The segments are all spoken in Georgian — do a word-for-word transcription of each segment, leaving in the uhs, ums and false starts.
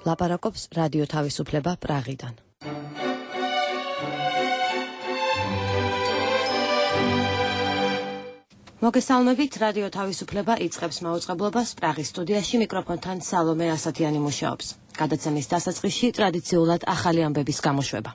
ლაპარაკობს რადიო თავისუფლება პრაღიდან. მოგესალმებით, რადიო თავისუფლება იწყებს მაუწყებლობას პრაღის სტუდიაში მიკროფონთან სალომე ასათიანი მუშაობს. გადაცემის დასაწყისში ტრადიციულად ახალი ამბების გამოშვება.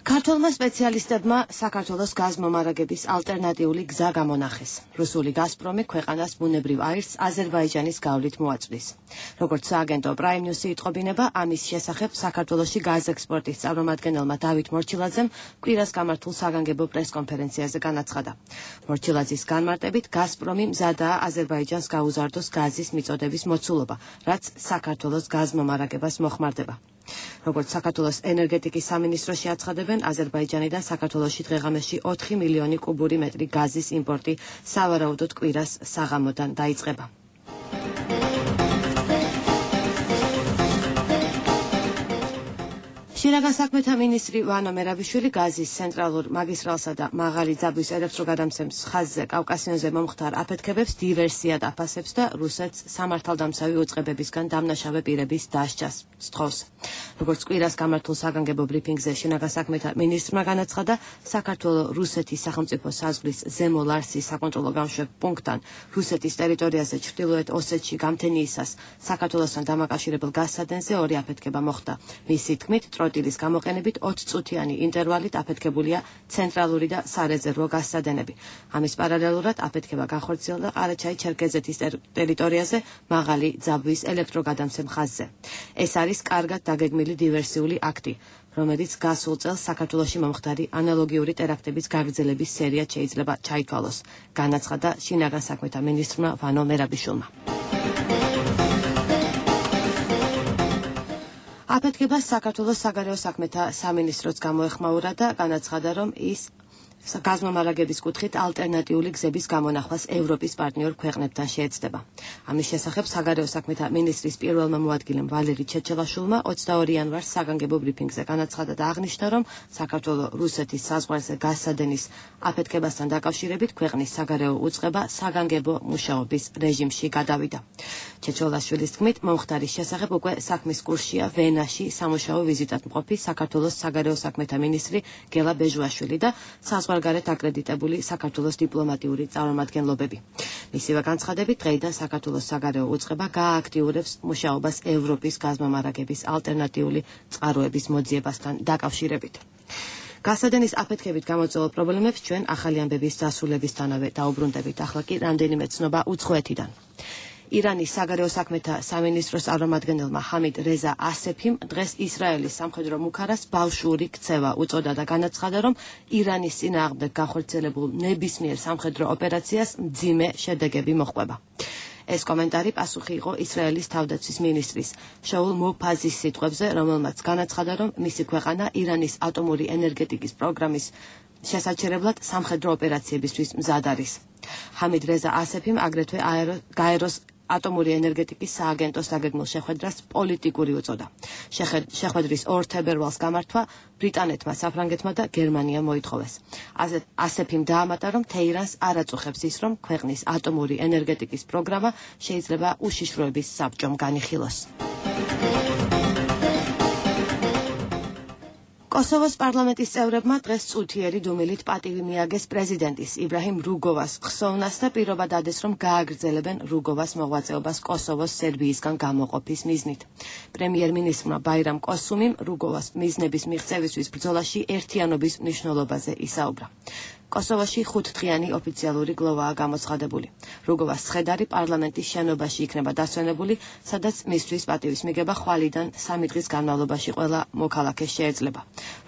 ქართველმა სპეციალისტებმა საქართველოს გაზმომარაგების ალტერნატიული გზა გამონახეს. რუსული გაზპრომი ქვეყანას ბუნებრივ აირს აზერბაიჯანის გავლით მოაწვდის. როგორც სააგენტო Prime News-ი იტყობინება, ამის შესახებ საქართველოში გაზექსპორტის წარმომადგენელმა დავით მორჩილაძემ კვირას გამართულ საგანგებო პრესკონფერენციაზე განაცხადა. მორჩილაძის განმარტებით, გაზპრომი მზადაა აზერბაიჯანს გაუზარდოს გაზის მიწოდების მოცულობა, რაც საქართველოს გაზმომარაგებას მოხმარდება. როგორც საქართველოს ენერგეტიკის სამინისტროში აცხადებენ, აზერბაიჯანიდან საქართველოში დღეღამეში ოთხი მილიონი კუბური მეტრი გაზის იმპორტი სავარაუდოდ კვირას საღამოდან დაიწყება. შინაგან საქმეთა მინისტრი ვანო მერაბიშვილი გაზის ცენტრალურ მაგისტრალსა და მაღალი ძაბვის ელექტროგადამცემს ხაზზე კავკასიონზე მომხდარ აფეთქებებს დივერსიად აფასებს და რუსეთს სამართალდამცავი უწყებებისგან დამნაშავე პირების დასჯას სთხოვს. როგორც კვირას გამართულ საგანგებო ბრიფინგზე შინაგან საქმეთა მინისტრმა განაცხადა, საქართველოს რუსეთის სახელმწიფო საზღვრის ზემო ლარსის საკონტროლო გამშვებ პუნქტთან რუსეთის ტერიტორიაზე ჩრდილოეთ ოსეთში გამთენიისას საქართველოსთან დამაკავშირებელ გაზსადენზე ორი აფეთქება მოხდა. მისი თქმით, ტროტილის გამოყენებით ოც წუთიანი ინტერვალით აფეთქებულია ცენტრალური და სარეზერვო გაზსადენები. ამის პარალელურად აფეთქება განხორციელდა ყარაჩაი-ჩერქეზეთის ტერიტორიაზე მაღალი ძაბვის ელექტროგადამცემ ხაზზე. ეს არის კარგად დაგეგმილი დივერსიული აქტი, რომელიც გასულ წელს საქართველოში მომხდარი ანალოგიური ტერაქტების გაგრძელების სერიად შეიძლება ჩაითვალოს, განაცხადა შინაგან საქმეთა მინისტრმა ვანო მერაბიშვილმა. აფეთქებას საქართველოს საგარეო საქმეთა სამინისტროც გამოეხმაურა და განაცხადა, რომ ის გაზმომარაგების კუთხით ალტერნატიული გზების გამონახვას ევროპის პარტნიორ ქვეყნებთან შეეცდება. ამის შესახებ საგარეო საქმეთა მინისტრის პირველმა მოადგილემ ვალერი ჩეჩელაშვილმა ოცდაორი იანვარს საგანგებო ბრიფინგზე განაცხადა და აღნიშნა, რომ საქართველოს რუსეთის საზღვარზე გაზსადენის აფეთქებასთან დაკავშირებით ქვეყნის საგარეო უწყება საგანგებო მუშაობის რეჟიმში გადავიდა. ჩეჩელაშვილის თქმით, მომხდარის შესახებ უკვე საქმის კურსშია ვენაში სამუშაო ვიზიტად მყოფი საქართველოს საგარეო საქმეთა მინისტრი გელა ბეჟუაშვილი და საზღვარგარეთ აკრედიტებული საქართველოს დიპლომატიური წარმომადგენლობები. მისივე განცხადებით, დღეიდან საქართველოს საგარეო უწყება გაააქტიურებს მუშაობას ევროპის გაზმომარაგების ალტერნატიული წყაროების მოძიებასთან დაკავშირებით. გაზსადენის აფეთქებით გამოწვეულ პრობლემებს ჩვენ ახალი ამბების დასრულებისთანავე დაუბრუნდებით. ახლა კი რამდენიმე ცნობა უცხოეთიდან. ირანის საგარეო საქმეთა სამინისტროს წარმომადგენელმა ჰამიდ რეზა ასეფიმ დღეს ისრაელის სამხედრო მუქარას ბავშვური ქცევა უწოდა და განაცხადა, რომ ირანის წინააღმდეგ განხორციელებულ ნებისმიერ სამხედრო ოპერაციას მძიმე შედეგები მოჰყვება. ეს კომენტარი პასუხი იყო ისრაელის თავდაცვის მინისტრის შაულ მოფაზის სიტყვებზე, რომელმაც განაცხადა, რომ მისი ქვეყანა ირანის ატომური ენერგეტიკის პროგრამის შესაჩერებლად სამხედრო ოპერაციებისთვის მზად არის. ჰამიდ რეზა ასეფიმ აგრეთვე გაეროს ატომური ენერგეტიკის სააგენტოს დაგეგმილ შეხვედრას პოლიტიკური უწოდა. შეხვედრის ორ თებერვალს გამართვა ბრიტანეთმა, საფრანგეთმა და გერმანიამ მოითხოვეს. ასეფიმ დაამატა, რომ თეირანს არ აწუხებს ის, რომ ქვეყნის ატომური ენერგეტიკის პროგრამა შეიძლება უშიშროების საბჭომ განიხილოს. კოსოვოს პარლამენტის წევრებმა დღეს წუთიერი დუმილით პატივი მიაგეს პრეზიდენტის იბრაჰიმ რუგოვას ხსოვნას და პირობა დადეს, რომ გააგრძელებენ რუგოვას მოღვაწეობას კოსოვოს სერბიისგან გამოყოფის მიზნით. პრემიერ-მინისტრმა ბაირამ კოსუმიმ რუგოვას მიზნების მიღწევისთვის ბრძოლაში ერთიანობის მნიშვნელობაზე ისაუბრა. კოსოვოში ხუთდღიანი ოფიციალური გლოვაა გამოცხადებული. რუგოვას ცხედარი პარლამენტის შენობაში იქნება დასვენებული, სადაც მისთვის პატივის მიღება ხვალიდან სამი დღის განმავლობაში ყველა მოქალაქეს შეეძლება.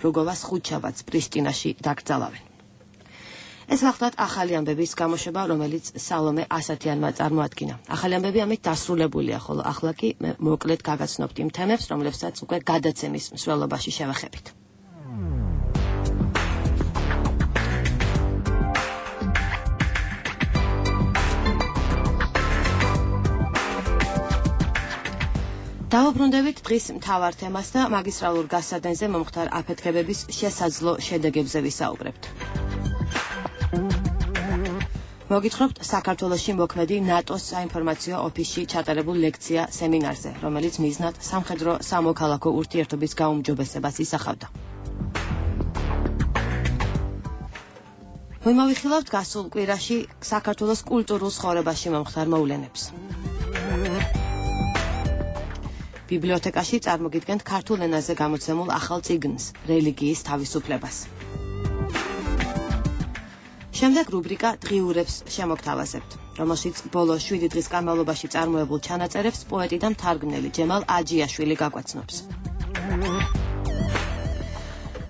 რუგოვას ხუთშაბათს პრიშტინაში დაკრძალავენ. ეს გახლავთ ახალი ამბების გამოშვება, რომელიც სალომე ასათიანმა წარმოადგინა. ახალი ამბები ამით დასრულებულია, ხოლო ახლა კი მოკლედ გაგაცნობთ იმ თემებს, რომლებსაც უკვე გადაცემის მსვლელობაში შევეხებით. დავუბრუნდებით დღის მთავარ თემას და მაგისტრალურ გაზსადენზე მომხდარ აფეთქებების შესაძლო შედეგებზე ვისაუბრებთ. მოგითხრობთ საქართველოში მოქმედი ნატოს საინფორმაციო ოფისში ჩატარებულ ლექცია სემინარზე, რომელიც მიზნად სამხედრო სამოქალაქო ურთიერთობის გაუმჯობესებას ისახავდა. მოვიხილავთ გასულ კვირაში საქართველოს კულტურულ ცხოვრებაში მომხდარ მოვლენებს. ბიბლიოთეკაში წარმოგიდგენთ ქართულ ენაზე გამოცემულ ახალ წიგნს, რელიგიის თავისუფლებას. შემდეგ რუბრიკა დღიურებს შემოგთავაზებთ, რომელშიც ბოლო შვიდი დღის განმავლობაში წარმოებულ ჩანაწერებს პოეტი და მთარგმნელი ჯემალ აჯიაშვილი გაგვაცნობს.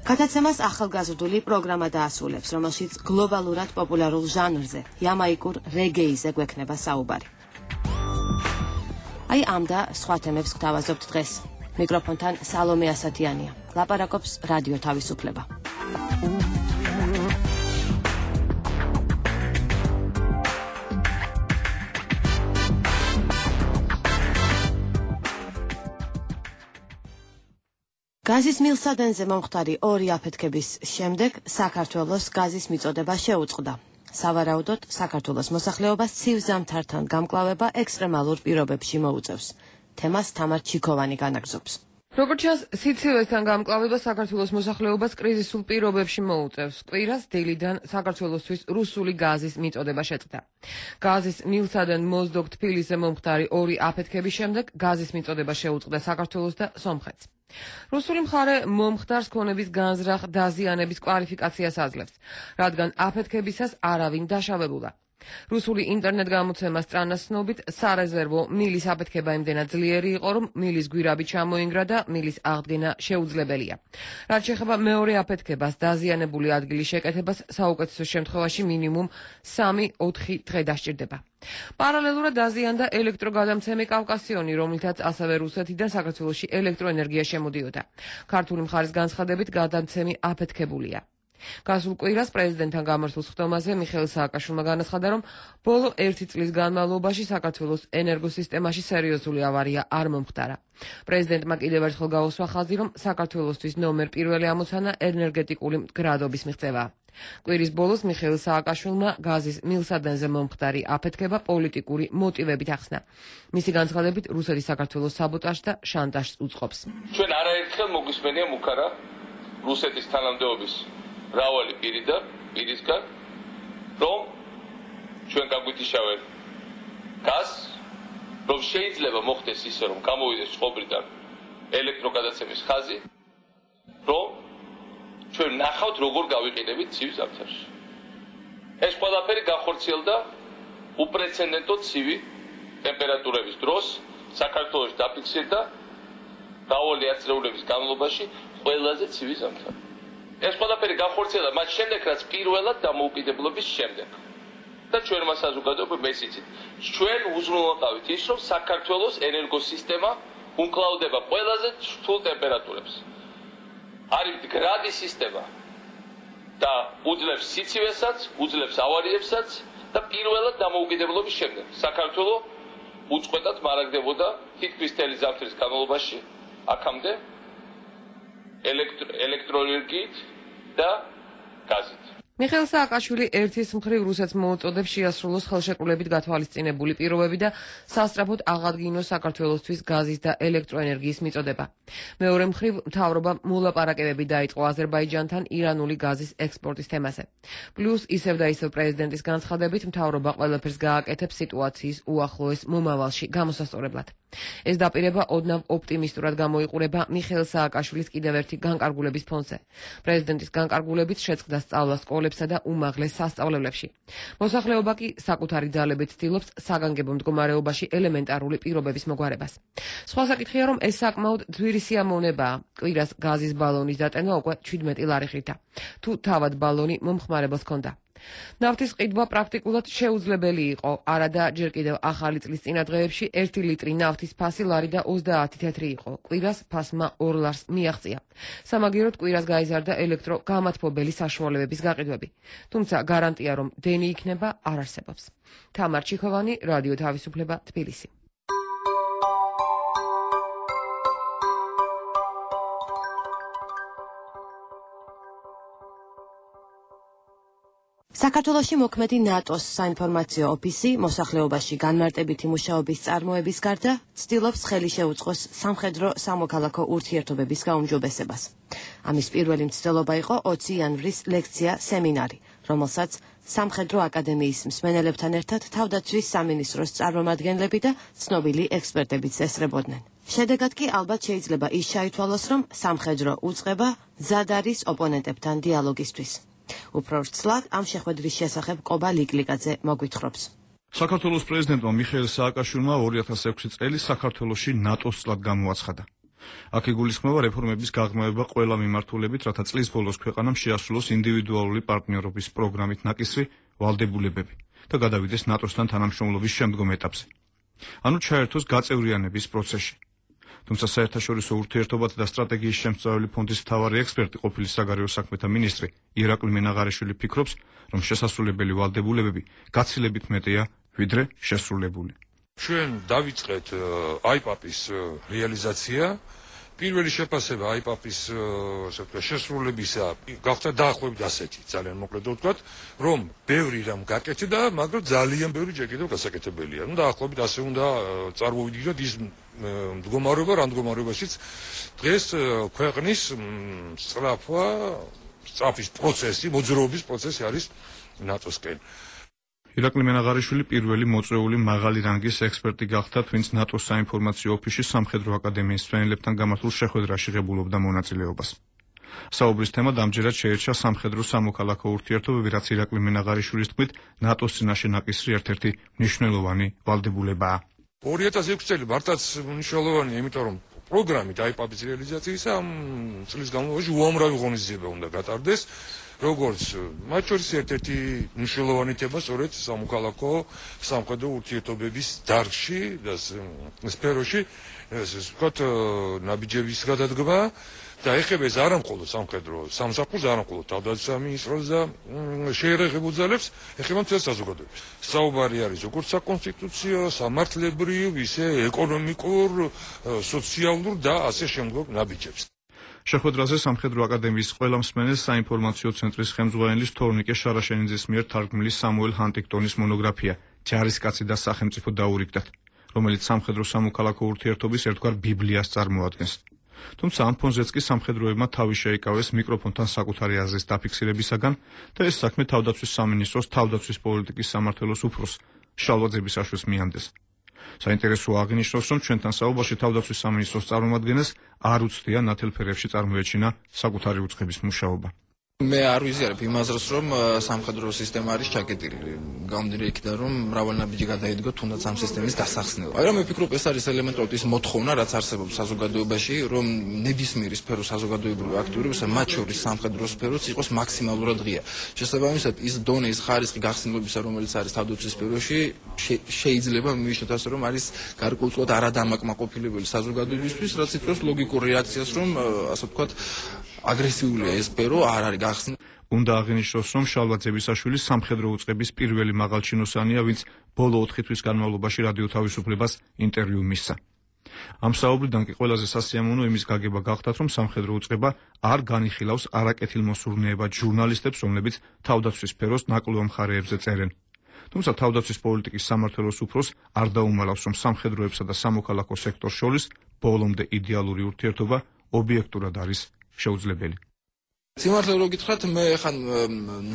გადაცემას ახალგაზრდული პროგრამა დაასრულებს, რომელშიც გლობალურად პოპულარულ ჟანრზე, იამაიკურ რეგეიზე გვექნება საუბარი. აი ამ და სხვა თემებს გვთავაზობთ დღეს. მიკროფონთან სალომე ასათიანია. ლაპარაკობს რადიო თავისუფლება. გაზის მილსადენზე მომხდარი ორი აფეთქების შემდეგ საქართველოს გაზის მიწოდება შეუწყდა. სავარაუდოდ საქართველოს მოსახლეობას ცივ ზამთართან გამკლავება ექსტრემალურ პირობებში მოუწევს. თემას თამარ ჩიქოვანი განაგრძობს. როგორც ჩანს, სიცივესთან გამკლავება საქართველოს მოსახლეობას კრიზისულ პირობებში მოუწევს. კვირას დილიდან საქართველოსთვის რუსული გაზის მიწოდება შეწყდა. გაზის მილსადენ მოზდოგ თბილისზე მომხდარი ორი აფეთქების შემდეგ გაზის მიწოდება შეუწყდა საქართველოს და სომხეთს. რუსული მხარე მომხდარს ქონების განზრახ დაზიანების კვალიფიკაციას აძლევს, რადგან აფეთქებისას არავინ დაშავებულა. რუსული ინტერნეტ გამოცემა სტრანას ცნობით, სარეზერვო მილის აფეთქება იმდენად ძლიერი იყო, რომ მილის გვირაბი ჩამოინგრა და მილის აღდგენა შეუძლებელია. რაც შეეხება მეორე აფეთქებას, დაზიანებული ადგილის შეკეთებას საუკეთესო შემთხვევაში მინიმუმ სამი ოთხი დღე დასჭირდება. პარალელურად დაზიანდა ელექტროგადამცემი კავკასიონი, რომლითაც ასევე რუსეთიდან საქართველოში ელექტროენერგია შემოდიოდა. ქართული მხარის განცხადებით გადამცემი აფეთქებულია. გასულ კვირას პრეზიდენტთან გამართულ სხდომაზე მიხეილ სააკაშვილმა განაცხადა, რომ ბოლო ერთი წლის განმავლობაში საქართველოს ენერგოსისტემაში სერიოზული ავარია არ მომხდარა. პრეზიდენტმა კიდევ ერთხელ გაუსვა ხაზი, რომ საქართველოსთვის ნომერ პირველი ამოცანა ენერგეტიკული მდგრადობის მიღწევაა. კვირის ბოლოს მიხეილ სააკაშვილმა გაზის მილსადენზე მომხდარი აფეთქება პოლიტიკური მოტივებით ახსნა. მისი განცხადებით, რუსეთი საქართველოს საბოტაჟს და შანტაჟს უწყობს. ჩვენ არაერთხელ მოგვისმენია მუქარა რუსეთის თანამდებობის მრავალი პირიდან, პირისგან, რომ ჩვენ გაგვითიშავენ გაზს, რომ შეიძლება მოხდეს ისე, რომ გამოვიდეს წყობრიდან ელექტროგადაცემის ხაზი, რომ ჩვენ ნახავთ, როგორ გავიყიდებით ცივ ზამთარში. ეს ყველაფერი განხორციელდა უპრეცედენტო ცივი ტემპერატურების დროს, საქართველოში დაფიქსირდა მრავალი ათწლეულების განმავლობაში ყველაზე ცივი ზამთარი. ეს ყველაფერი განხორციელდა მათ შემდეგ, რაც პირველად დამოუკიდებლობის შემდეგ. და ჩვენმა საზოგადოებამ ეს იცით. ჩვენ უზრუნველყავით ის, რომ საქართველოს ენერგოსისტემა უმკლავდება ყველაზე რთულ ტემპერატურებს. არის მდგრადი სისტემა და უძლებს სიცივესაც, უძლებს ავარიებსაც და პირველად დამოუკიდებლობის შემდეგ საქართველო უწყვეტად მარაგდებოდა თითქმის მთელი ზამთრის განმავლობაში აქამდე ელექტროენერგიით და გაზით. მიხეილ სააკაშვილი ერთის მხრივ რუსეთს მოუწოდებს შეასრულოს ხელშეკრულებით გათვალისწინებული პირობები და სასწრაფოდ აღადგინოს საქართველოსთვის გაზის და ელექტროენერგიის მიწოდება. მეორე მხრივ მთავრობამ მოლაპარაკებები დაიწყო აზერბაიჯანთან ირანული გაზის ექსპორტის თემაზე. პლუს ისევ და ისევ პრეზიდენტის განცხადებით მთავრობა ყველაფერს გააკეთებს სიტუაციის უახლოეს მომავალში გამოსასწორებლად. ეს დაპირება ოდნავ ოპტიმისტურად გამოიყურება მიხეილ სააკაშვილის კიდევ ერთი განკარგულების ფონზე. პრეზიდენტის განკარგულებით შეწყდა სწავლა სკოლებსა და უმაღლეს სასწავლებლებში. მოსახლეობა კი საკუთარი ძალებით ცდილობს საგანგებო მდგომარეობაში ელემენტარული პირობების მოგვარებას. სხვა საკითხია, რომ ეს საკმაოდ ძვირი სიამოვნებაა. კვირას გაზის ბალონის დატენვა უკვე ჩვიდმეტი ლარი ხრითა. თუ თავად ბალონი მომხმარებელს ჰქონდა. ნავთის ყიდვა პრაქტიკულად შეუძლებელი იყო. არადა ჯერ კიდევ ახალი წლის წინა დღეებში ერთი ლიტრი ნავთის ფასი ლარი და ოცდაათი თეთრი იყო. კვირას ფასმა ორ ლარს მიაღწია. სამაგიეროდ კვირას გაიზარდა ელექტრო გამათბობელი საშუალებების გაყიდვები. თუმცა გარანტია, რომ დენი იქნება, არ არსებობს. თამარ ჩიქოვანი, რადიო თავისუფლება, თბილისი. საქართველოში მოქმედი ნატოს საინფორმაციო ოფისი მოსახლეობაში განმარტებითი მუშაობის წარმოების გარდა ცდილობს ხელი შეუწყოს სამხედრო სამოქალაქო ურთიერთობების გაუმჯობესებას. ამის პირველი მცდელობა იყო ოცი იანვრის ლექცია სემინარი, რომელსაც სამხედრო აკადემიის მსმენელებთან ერთად თავდაცვის სამინისტროს წარმომადგენლები და ცნობილი ექსპერტებიც ესწრებოდნენ. შედეგად კი ალბათ შეიძლება ის ჩაითვალოს, რომ სამხედრო უწყება მზად არის ოპონენტებთან დიალოგისთვის. უფრო ვრცლად ამ შეხვედრის შესახებ კობა ლიკლიკაძე მოგვითხრობს. საქართველოს პრეზიდენტმა მიხეილ სააკაშვილმა ორი ათას ექვსი წელი საქართველოში ნატოს წლად გამოაცხადა. აქ იგულისხმება რეფორმების გაღრმავება ყველა მიმართულებით, რათა წლის ბოლოს ქვეყანამ შეასრულოს ინდივიდუალური პარტნიორობის პროგრამით ნაკისრი ვალდებულებები და გადავიდეს ნატოსთან თანამშრომლობის შემდგომ ეტაპზე. ანუ ჩაერთოს გაწევრიანების პროცესში. თუმცა საერთაშორისო ურთიერთობათა და სტრატეგიის შემსწავლელი ფონდის მთავარი ექსპერტი ყოფილი საგარეო საქმეთა მინისტრი ირაკლი მენაღარიშვილი ფიქრობს, რომ შესასრულებელი ვალდებულებები გაცილებით მეტია, ვიდრე შესრულებული. ჩვენ დავიწყეთ აიპაპის რეალიზაცია. პირველი შეფასება აიპაპის შესრულებისა გახდა დაახლოებით ასეთი, ძალიან მოკლედ ვთქვათ, რომ ბევრი რამ გაკეთდა, მაგრამ ძალიან ბევრი ჯერ კიდევ გასაკეთებელია. ნუ დაახლოებით ასე უნდა წარმოვიდგინოთ ის მდგომარეობა, რა მდგომარეობაშიც დღეს ქვეყნის სწრაფვა, სწრაფის პროცესი, მოძრაობის პროცესი არის ნატოსკენ. ირაკლი მენაღარიშვილი პირველი მოწვეული მაღალი რანგის ექსპერტი გახდა, ვინც ნატოს საინფორმაციო ოფისში სამხედრო აკადემიის მსმენელებთან გამართულ შეხვედრაში ღებულობდა მონაწილეობას. საუბრის თემა დამჯერად შეირჩა სამხედრო სამოქალაქო ურთიერთობები, რაც ირაკლი მენაღარიშვილის თქმით ნატოს წინაშე ნაკისრი ერთ-ერთი მნიშვნელოვანი ვალდებულებაა. ორი ათას ექვსი წელი მართლაც მნიშვნელოვანია, იმიტომ რომ პროგრამით აიპაპის რეალიზაციისა ამ წლის განმავლობაში უამრავი ღონისძიება უნდა გატარდეს. როგორც მათ შორის ერთ-ერთი მნიშვნელოვანი თემა სწორედ სამოქალაქო სამხედრო ურთიერთობების დარგში და სფეროში, ესე ვთქვათ, ნაბიჯების გადადგმა და ეხება ეს არა მხოლოდ სამხედრო სამსახურს, არა მხოლოდ თავდაცვის სამინისტროს და შეერაღებულ ძალებს, ეხება მთელ საზოგადოებას. საუბარი არის როგორც საკონსტიტუციო, სამართლებრივ, ისე ეკონომიკურ, სოციალურ და ასე შემდგომ ნაბიჯებს. შეხვედრაზე სამხედრო აკადემიის ყველა მსმენელს საინფორმაციო ცენტრის ხელმძღვანელის თორნიკე შარაშენიძის მიერ თარგმნილი სამუელ ჰანტინგტონის მონოგრაფია „ჯარისკაცი და სახელმწიფო“ დაურიგდათ, რომელიც სამხედრო სამოქალაქო ურთიერთობის ერთგვარ ბიბლიას წარმოადგენს. თუმცა ამ ფონზეც კი სამხედროებმა თავი შეიკავეს მიკროფონთან საკუთარი აზრის დაფიქსირებისაგან და ეს საქმე თავდაცვის სამინისტროს თავდაცვის პოლიტიკის სამმართველოს უფროს შალვა ძებისაშვილს მიანდეს. საინტერესოა აღინიშნოს, რომ ჩვენთან საუბარში თავდაცვის სამინისტროს წარმომადგენელს არ უცდია ნათელ ფერებში წარმოეჩინა საკუთარი უწყების მუშაობა. მე არ ვიზიარებ იმ აზრს, რომ სამხედრო სისტემა არის ჩაკეტილი. გამომდინარე იქიდან, რომ მრავალი ნაბიჯი გადაიდგო თუნდაც ამ სისტემის დასახსნელად. მაგრამ მე ვფიქრობ, ეს არის ელემენტარული ის მოთხოვნა, რაც არსებობს საზოგადოებაში, რომ ნებისმიერი სფერო საზოგადოებრივი აქტივობისა, მათ შორის სამხედრო სფეროც იყოს მაქსიმალურად ღია. შესაბამისად, ის დონე, ის ხარისხი გახსნილებისა, რომელიც არის თავდაცვის სფეროში, შეიძლება მივიშნოთ ასე, რომ არის გარკვეულწილად არადამაკმაყოფილებელი საზოგადოებისთვის, რაც იწვევს ლოგიკურ რეაქციას, რომ ასე ვთქვათ, აგრესიულია ეს სფერო არ არის გახსნილი. უნდა აღინიშნოს, რომ შალვა ძებისაშვილი სამხედრო უწყების პირველი მაღალჩინოსანია, ვინც ბოლო ოთხი თვის განმავლობაში რადიო თავისუფლებას ინტერვიუ მისცა. ამ საუბრიდან კი ყველაზე სასიამოვნო იმის გაგება გახდათ, რომ სამხედრო უწყება არ განიხილავს არაკეთილმოსურნეებად ჟურნალისტებს, რომლებიც თავდაცვის სფეროს ნაკლუა მხარეებზე წერენ. თუმცა თავდაცვის პოლიტიკის სამმართველოს უფროს არ დაუმალავს, რომ სამხედროებსა და სამოქალაქო სექტორს შორის ბოლომდე იდეალური ურთიერთობა ობიექტურად არის შეუძლებელი. სიმართლე რო გითხრათ, მე ხან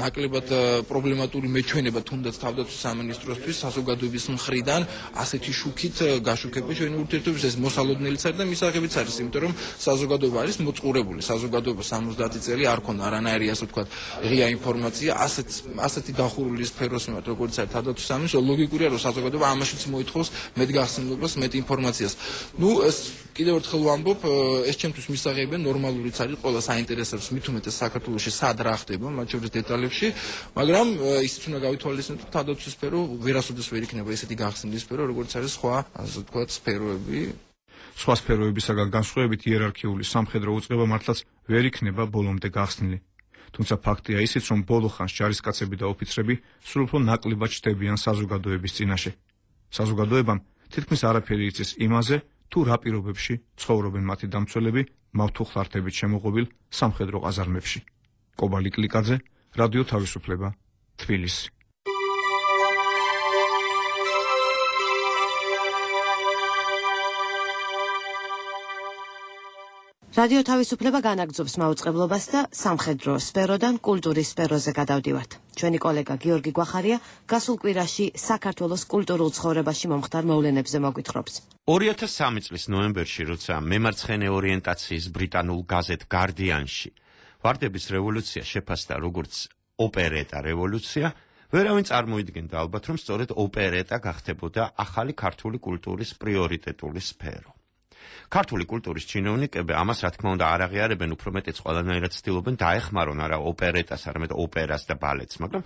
ნაკლებად პრობლემატური მეჩვენება თუნდაც თავდაცვის სამინისტროსთვის საზოგადოების მხრიდან ასეთი შუქით გაშუქება ჩვენი ურთიერთობის ეს მოსალოდნელიც არის და მისაღებიც არის, იმიტომ რომ საზოგადოება არის მოწყურებული. საზოგადოება სამოცდაათი წელი არ ქონდა არანაირი ასე ვთქვათ ღია ინფორმაცია ასეთ ასეთი დახურული სფეროს მიმართ, როგორც არის თავდაცვის სამინისტრო, ლოგიკურია რომ საზოგადოება ამაშიც მოითხოვს მეტ გახსნილობას, მეტ ინფორმაციას. ნუ ეს კიდევ ერთხელ ვამბობ, ეს ჩემთვის მისაღებია, ნორმალურიც არის, ყველა საინტერესებს მით უმეტეს საქართველოში სად რა ხდება, მათ შორის დეტალებში, მაგრამ ისიც უნდა გავითვალისწინოთ, რომ თავდაცვის სფერო ვერასოდეს ვერ იქნება ესეთი გახსნილი სფერო, როგორც არის სხვა, ასე ვთქვათ, სფეროები. სხვა სფეროებისაგან განსხვავებით იერარქიული სამხედრო უწყება მართლაც ვერ იქნება ბოლომდე გახსნილი. თუმცა ფაქტია ისიც, რომ ბოლო ხანს ჯარისკაცები და ოფიცრები სულ უფრო ნაკლებად ჩნდებიან საზოგადოების წინაშე. საზოგადოებამ თითქმის არაფერი იცის იმაზე, თუ რა პირობებში ცხოვრობენ მათი დამცველები მავთუხლართებით შემოღობილ სამხედრო ყაზარმებში. კობა ლიკლიკაძე, რადიო თავისუფლება, თბილისი. რადიო თავისუფლება განაგრძობს მაუწყებლობას და სამხედრო სფეროდან კულტურის სფეროზე გადავდივართ. ჩვენი კოლეგა გიორგი გვახარია გასულ კვირაში საქართველოს კულტურულ ცხოვრებაში მომხდარ მოვლენებზე მოგვითხრობს. ორი ათას სამი წლის ნოემბერში, როცა მემარცხენე ორიენტაციის ბრიტანულ გაზეთ გარდიანში ვარდების რევოლუცია შეფასდა როგორც ოპერეტა რევოლუცია, ვერავინ წარმოიდგენდა ალბათ, რომ სწორედ ოპერეტა გახდებოდა ახალი ქართული კულტურის პრიორიტეტული სფერო. ქართული კულტურის ჩინოვნიკები ამას რა თქმა უნდა არ აღიარებენ, უფრო მეტიც ყველანაირად ცდილობენ დაეხმარონ არა ოპერეტას, არამედ ოპერას და ბალეტს, მაგრამ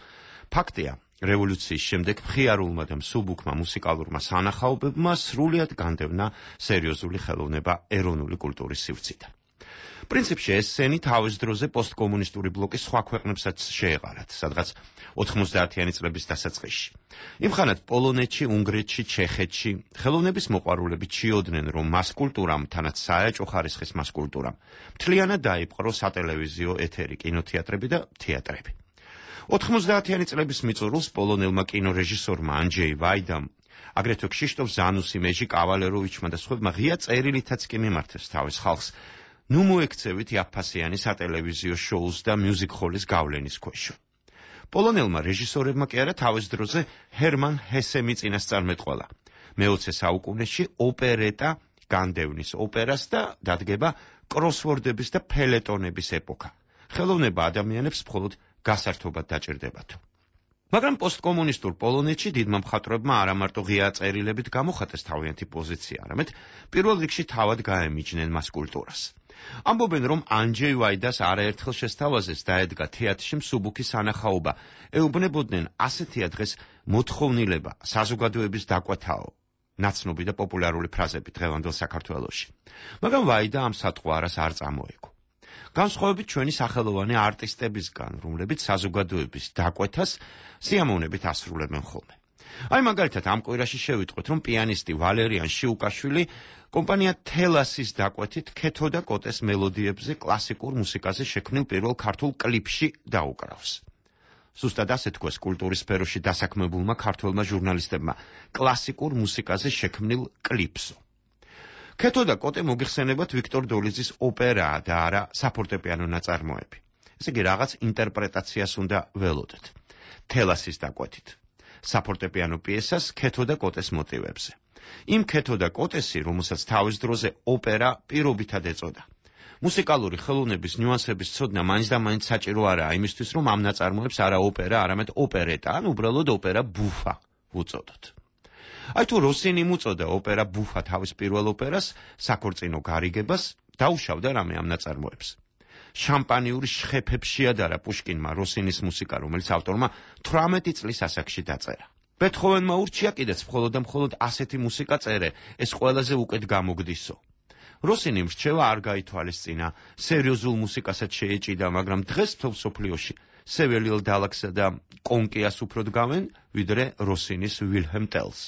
ფაქტია, რევოლუციის შემდეგ მხიარულმა და მსუბუქმა მუსიკალურმა სანახაობებმა სრულიად განდევნა სერიოზული ხელოვნება ეროვნული კულტურის სივრციდან. პრინციპში ეს სცენი თავის დროზე პოსტკომუნისტური ბლოკის სხვა ქვეყნებსაც შეეყარათ, სადღაც ოთხმოცდაათიანი წლების დასაწყისში. იმხანად პოლონეთში, უნგრეთში, ჩეხეთში ხელოვნების მოყვარულები ჩიოდნენ, რომ მას კულტურამ, თანაც საეჭვო ხარისხის მას კულტურამ, მთლიანად დაიპყრო სატელევიზიო ეთერი, კინოთეატრები და თეატრები. ოთხმოცდაათიანი წლების მიწურულს პოლონელმა კინორეჟისორმა ანჯეი ვაიდამ, აგრეთვე ქშიშტოფ ზანუსი, მეჟი კავალეროვიჩმა და სხვებმა ღია წერილითაც კი მიმართეს თავის ხალხს, ნუ მოექცევით იაფფასიანი სატელევიზიო შოუს და მიუზიკ-ჰოლის გავლენის ქვეშ. პოლონელმა რეჟისორებმა კი არა თავის დროზე ჰერმან ჰესე მიწინასწარმეტყველა. მეოცე საუკუნეში ოპერეტა განდევნის ოპერას და დადგება კროსვორდების და ფელეტონების ეპოქა. ხელოვნება ადამიანებს მხოლოდ გასართობად დაჭირდებათ. მაგრამ პოსტკომუნისტურ პოლონეთში დიდმა მხატვრებმა არა მარტო ღია წერილებით გამოხატეს თავიანთი პოზიცია, არამედ პირველ რიგში თავად გაემიჯნენ მას კულტურას. ამბობენ, რომ ანჯეი ვაიდას არაერთხელ შესთავაზეს დაედგა თეატრში მსუბუქი სანახაობა, ეუბნებოდნენ ასეთია დღეს მოთხოვნილება, საზოგადოების დაკვეთაო, ნაცნობი და პოპულარული ფრაზები დღევანდელ საქართველოში. მაგრამ ვაიდა ამ სატყვარას არ წამოეგო. განსხვავებით ჩვენი სახელოვანი არტისტებისგან, რომლებიც საზოგადოების დაკვეთას სიამოვნებით ასრულებენ ხოლმე. აი მაგალითად ამ კვირაში შევიტყვეთ, რომ პიანისტი ვალერიან შიუკაშვილი კომპანია თელასის დაკვეთით ქეთო და კოტეს მელოდიებზე კლასიკურ მუსიკაზე შექმნილ პირველ ქართულ კლიპში დაუკრავს. ზუსტად ასე თქვეს კულტურის სფეროში დასაქმებულმა ქართველმა ჟურნალისტებმა კლასიკურ მუსიკაზე შექმნილ კლიპსო. ქეთო და კოტე მოგიხსენებათ ვიქტორ დოლიძის ოპერაა და არა საფორტეპიანო ნაწარმოები. ესე იგი რაღაც ინტერპრეტაციას უნდა ველოდეთ. თელასის დაკვეთით საფორტეპიანო პიესას ქეთო და კოტეს მოტივებზე. იმ ქეთო და კოტესი, რომელსაც თავის დროზე ოპერა პირობითად ეწოდა. მუსიკალური ხელოვნების ნიუანსების ცოდნა მაინც და მაინც საჭირო არაა იმისთვის, რომ ამ ნაწარმოებს არა ოპერა, არამედ ოპერეტა, ან უბრალოდ ოპერა ბუფა ვუწოდოთ. აი თუ როსინი მოწოდა ოპერა ბუფა თავის პირველ ოპერას, საქორწინო გარიგებას, დაუშავდა რამე ამ ნაწარმოებს. შამპანიური შხეფებს შეადარა პუშკინმა როსინის მუსიკა, რომელიც ავტორმა თვრამეტი წლის ასაკში დაწერა. ბეთჰოვენმა ურჩია კიდეც მხოლოდ და მხოლოდ ასეთი მუსიკა წერე, ეს ყველაზე უკეთ გამოგდისო. როსინი მრჩევა არ გაითვალისწინა, სერიოზულ მუსიკასაც შეეჭიდა, მაგრამ დღეს მთელ მსოფლიოში სეველიელ დალაქსა და კონკიას უფრო დგამენ, ვიდრე როსინის ვილჰემ ტელს.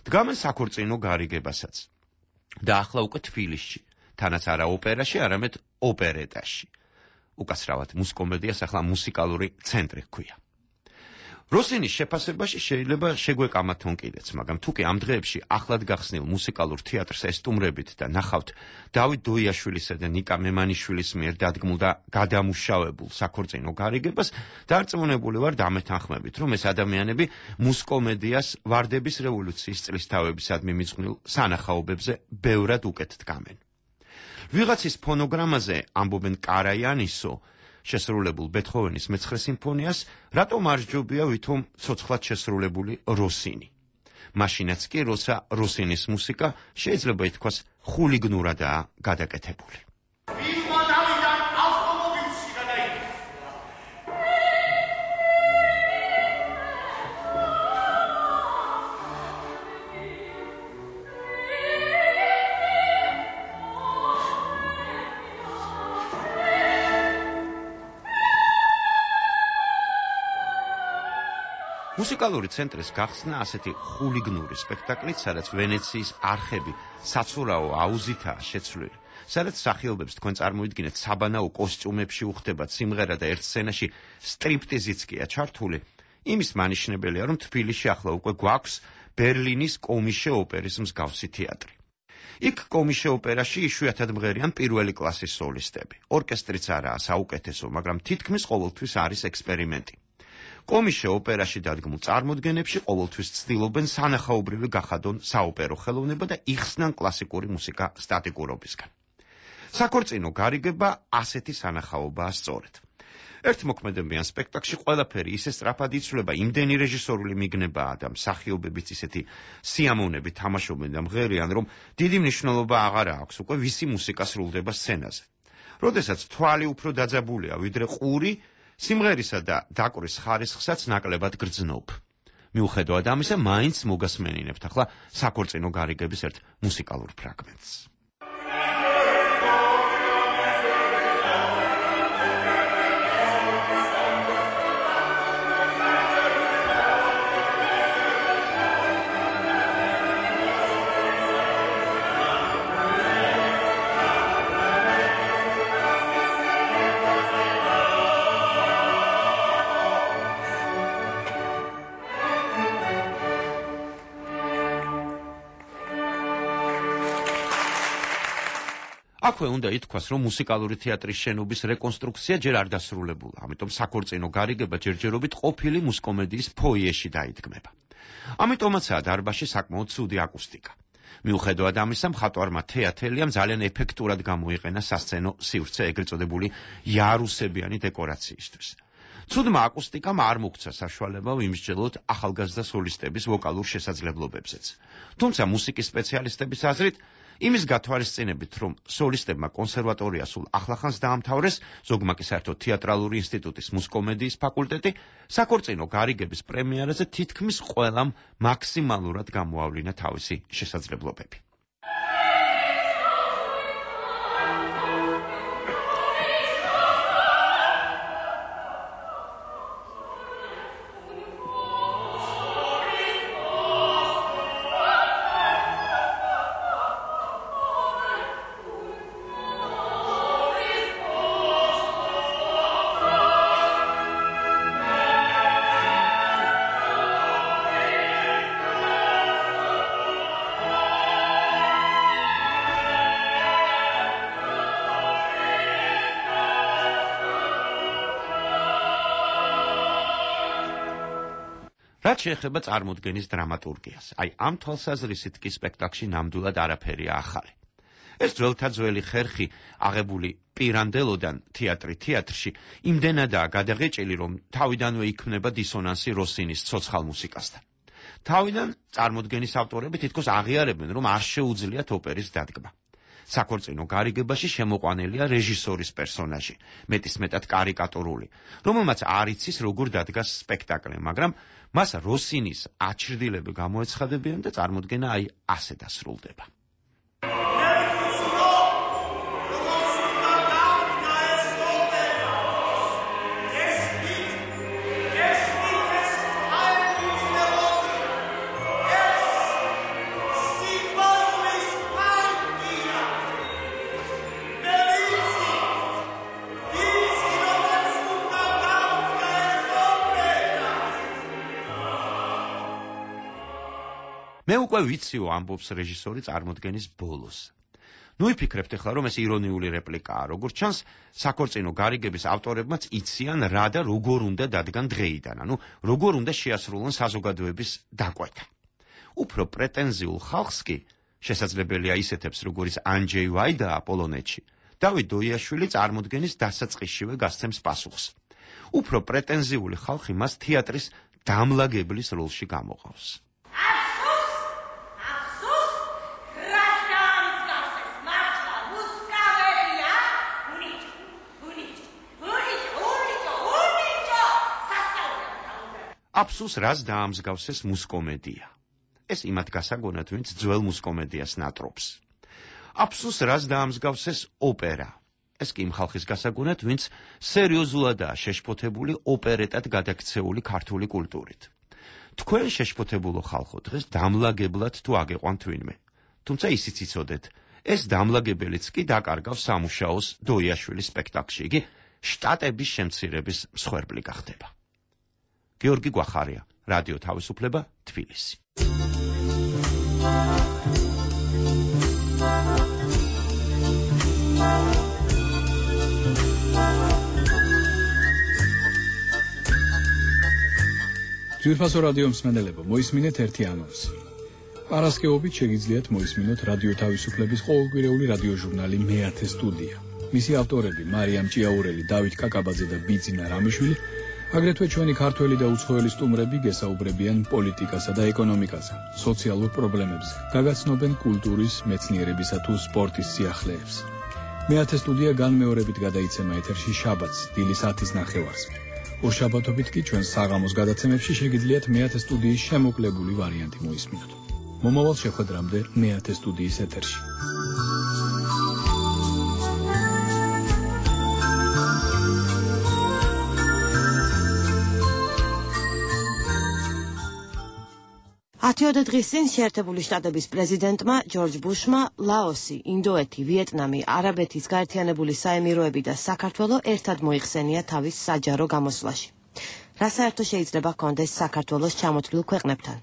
დგამენ საქორწინო გარიგებასაც. და ახლა უკვე თბილისში, თანაც არა ოპერაში, არამედ ოპერეტაში. უკასრავად მუსკომედიას ახლა მუსიკალური ცენტრი ჰქვია. როსინის შეფასებაში შეიძლება შეგვეკამათონ კიდეც, მაგრამ თუ კი ამ დღეებში ახლად გახსნილ მუსიკალურ თეატრს ესტუმრებით და ნახავთ დავით დოიაშვილისა და ნიკა მემანიშვილის მიერ დადგმულ და გადამუშავებულ საქორწინო გარიგებას, დარწმუნებული ვარ დამეთანხმებით, რომ ეს ადამიანები მუსკომედიას ვარდების რევოლუციის წლისთავებისადმი მიძღვნილ სანახაობებზე ბევრად უკეთ დგამენ. ვიღაცის ფონოგრამაზე ამბობენ კარაიანისო შესრულებულ ბეთჰოვენის მეცხრე სიმფონიას, რატომ არ ჯობია ვითომ ცოცხლად შესრულებული როსინი. მაშინაც კი, როცა როსინის მუსიკა შეიძლება ითქვას ხულიგნურადაა გადაკეთებული. მუსიკალური ცენტრის გახსნა ასეთი ხულიგნური სპექტაკლით, სადაც ვენეციის არხები საცურაო აუზითაა შეცვლილი, სადაც მსახიობებს თქვენ წარმოიდგინეთ საბანაო კოსტიუმებში უხდებათ სიმღერა და ერთ სცენაში სტრიპტიზიც კია ჩართული, იმის მანიშნებელია, რომ თბილისში ახლა უკვე გვაქვს ბერლინის კომიშე ოპერის მსგავსი თეატრი. იქ კომიშე ოპერაში იშვიათად მღერიან პირველი კლასის სოლისტები. ორკესტრიც არაა საუკეთესო, მაგრამ თითქმის ყოველთვის არის ექსპერიმენტი. კომიშე ოპერაში დადგმულ წარმოდგენებში ყოველთვის ცდილობენ სანახაობრივი გახადონ საოპერო ხელოვნება და იხსნან კლასიკური მუსიკა სტატიკურობისგან. საქორწინო გარიგება ასეთი სანახაობაა სწორედ. ერთ მოქმედებიან სპექტაკლში ყველაფერი ისე სწრაფად იცვლება, იმდენი რეჟისორული მიგნებაა და მსახიობებიც ისეთი სიამოვნები თამაშობენ და მღერიან, რომ დიდი მნიშვნელობა აღარ აქვს უკვე ვისი მუსიკა სრულდება სცენაზე. როდესაც თვალი უფრო დაძაბულია ვიდრე ყური, სიმღერისა და დაკვრის ხარისხსაც ნაკლებად გრძნობ. მიუხედავად ამისა, მაინც მოგასმენინებთ ახლა საქორწინო გარიგების ერთ მუსიკალურ ფრაგმენტს. აქვე უნდა ითქვას, რომ მუსიკალური თეატრის შენობის რეკონსტრუქცია ჯერ არ დასრულებულა, ამიტომ საქორწინო გარიგება ჯერჯერობით ყოფილი მუსკომედიის ფოიეში დაიდგმება. ამიტომაცაა დარბაზში საკმაოდ ცუდი აკუსტიკა. მიუხედავად ამისა, მხატვარმა თეატელიამ ძალიან ეფექტურად გამოიყენა სასცენო სივრცე ეგრეთ წოდებული იარუსებიანი დეკორაციისთვის. ცუდმა აკუსტიკამ არ მოგცა საშუალება ვიმსჯელოთ ახალგაზრდა სოლისტების ვოკალურ შესაძლებლობებზეც. თუმცა მუსიკის სპეციალისტების აზრით, იმის გათვალისწინებით, რომ სოლისტებმა კონსერვატორია სულ ახლახანს დაამთავრეს, ზოგმა კი საერთოდ თეატრალური ინსტიტუტის მუსკომედიის ფაკულტეტი, საქორწინო გარიგების პრემიერაზე თითქმის ყველამ მაქსიმალურად გამოავლინა თავისი შესაძლებლობები. რაც შეეხება წარმოდგენის დრამატურგიას, აი ამ თვალსაზრისით კი სპექტაკლში ნამდვილად არაფერია ახალი. ეს ძველთა ძველი ხერხი აღებული პირანდელოდან თეატრი თეატრში იმდენადაა გადაღეჭილი, რომ თავიდანვე იქმნება დისონანსი როსინის ცოცხალ მუსიკასთან. თავიდან წარმოდგენის ავტორები თითქოს აღიარებენ, რომ არ შეუძლიათ ოპერის დადგმა. საქორწინო გარიგებაში შემოყვანილია რეჟისორის პერსონაჟი, მეტისმეტად კარიკატურული, რომელმაც არ იცის როგორ დადგას სპექტაკლი, მაგრამ მას როსინის აჩრდილები გამოეცხადებიან და წარმოდგენა აი ასე დასრულდება. მე უკვე ვიციო, ამბობს რეჟისორი წარმოდგენის ბოლოს. ნუ იფიქრებთ ახლა, რომ ეს ირონიული რეპლიკაა, როგორც ჩანს, საქორწინო გარიგების ავტორებმაც იციან რა და როგორ უნდა დადგან დღეიდან, ანუ როგორ უნდა შეასრულონ საზოგადოების დაკვეთა. უფრო პრეტენზიულ ხალხს კი შესაძლებელია ისეთებს, როგორც ანჯეი ვაიდაა პოლონეთში, დავით დოიაშვილი წარმოდგენის დასაწყისშივე გასცემს პასუხს. უფრო პრეტენზიული ხალხი მას თეატრის დამლაგებლის როლში გამოყავს. აფსუს რას დაამსგავსეს მუსკომედია. ეს იმათ გასაგონად, ვინც ძველ მუსკომედიას ნატრობს. აფსუს რას დაამსგავსეს ოპერა. ეს კი იმ ხალხის გასაგონად, ვინც სერიოზულადაა შეშფოთებული ოპერეტად გადაქცეული ქართული კულტურით. თქვენ შეშფოთებულო ხალხო დღეს დამლაგებლად თუ აგეყვანთ ვინმე. თუმცა ისიც იცოდეთ, ეს დამლაგებელიც კი დაკარგავს სამუშაოს დოიაშვილის სპექტაკლში, იგი შტატების შემცირების მსხვერპლი გახდება. გიორგი გვახარია, რადიო თავისუფლება, თბილისი. ძვირფასო რადიო მსმენელებო, მოისმინეთ ერთი ანონსი. პარასკევობით შეგიძლიათ მოისმინოთ რადიო თავისუფლების ყოველკვირეული რადიო ჟურნალი მეათე სტუდია. მისი ავტორები მარიამ ჭიაურელი, დავით კაკაბაძე და ბიძინა რამიშვილი, აგრეთვე ჩვენი ქართველი და უცხოელი სტუმრები გესაუბრებიან პოლიტიკასა და ეკონომიკაზე, სოციალურ პრობლემებზე, გაგაცნობენ კულტურის, მეცნიერებისა თუ სპორტის სიახლეებს. მეათე სტუდია განმეორებით გადაიცემა ეთერში შაბათს, დილის ათის ნახევარს. ორშაბათობით კი ჩვენ საღამოს გადაცემებში შეგიძლიათ მეათე სტუდიის შემოკლებული ვარიანტი მოისმინოთ. მომავალ შეხვედრამდე მეათე სტუდიის ეთერში. ათიოდე დღის წინ შეერთებული შტატების პრეზიდენტმა ჯორჯ ბუშმა ლაოსი, ინდოეთი, ვიეტნამი, არაბეთის გაერთიანებული საემიროები და საქართველო ერთად მოიხსენია თავის საჯარო გამოსვლაში. რა საერთო შეიძლება ჰქონდეს საქართველოს ჩამოთვლილ ქვეყნებთან?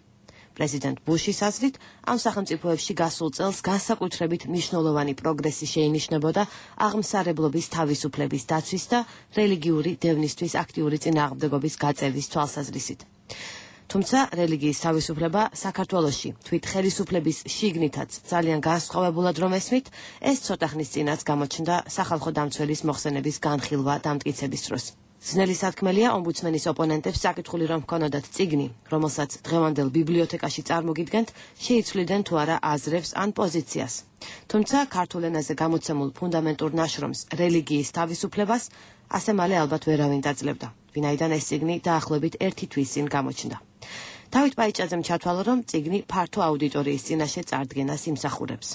პრეზიდენტ ბუშის აზრით, ამ სახელმწიფოებში გასულ წელს განსაკუთრებით მნიშვნელოვანი პროგრესი შეინიშნებოდა აღმსარებლობის თავისუფლების დაცვის და რელიგიური დევნისთვის აქტიური წინააღმდეგობის გაწევის თვალსაზრისით. თუმცა რელიგიის თავისუფლება საქართველოში თვით ხელისუფლების შიგნითაც ძალიან განსხვავებულად რომ ესმით, ეს ცოტა ხნის წინაც გამოჩნდა სახალხო დამცველის მოხსენების განხილვა დამტკიცების დროს. ძნელი სათქმელია ომბუდსმენის ოპონენტებს საკითხული რომ ჰქონოდათ წიგნი, რომელსაც დღევანდელ ბიბლიოთეკაში წარმოგიდგენთ, შეიცვლიდნენ თუ არა აზრებს ან პოზიციას. თუმცა ქართულ ენაზე გამოცემულ ფუნდამენტურ ნაშრომს რელიგიის თავისუფლებას ასე მალე ალბათ ვერავინ დაძლებდა, ვინაიდან ეს წიგნი დაახლოებით ერთი თვის წინ გამოჩნდა. დავით პაიჭაძემ ჩათვალა, რომ წიგნი ფართო აუდიტორიის წინაშე წარდგენას იმსახურებს.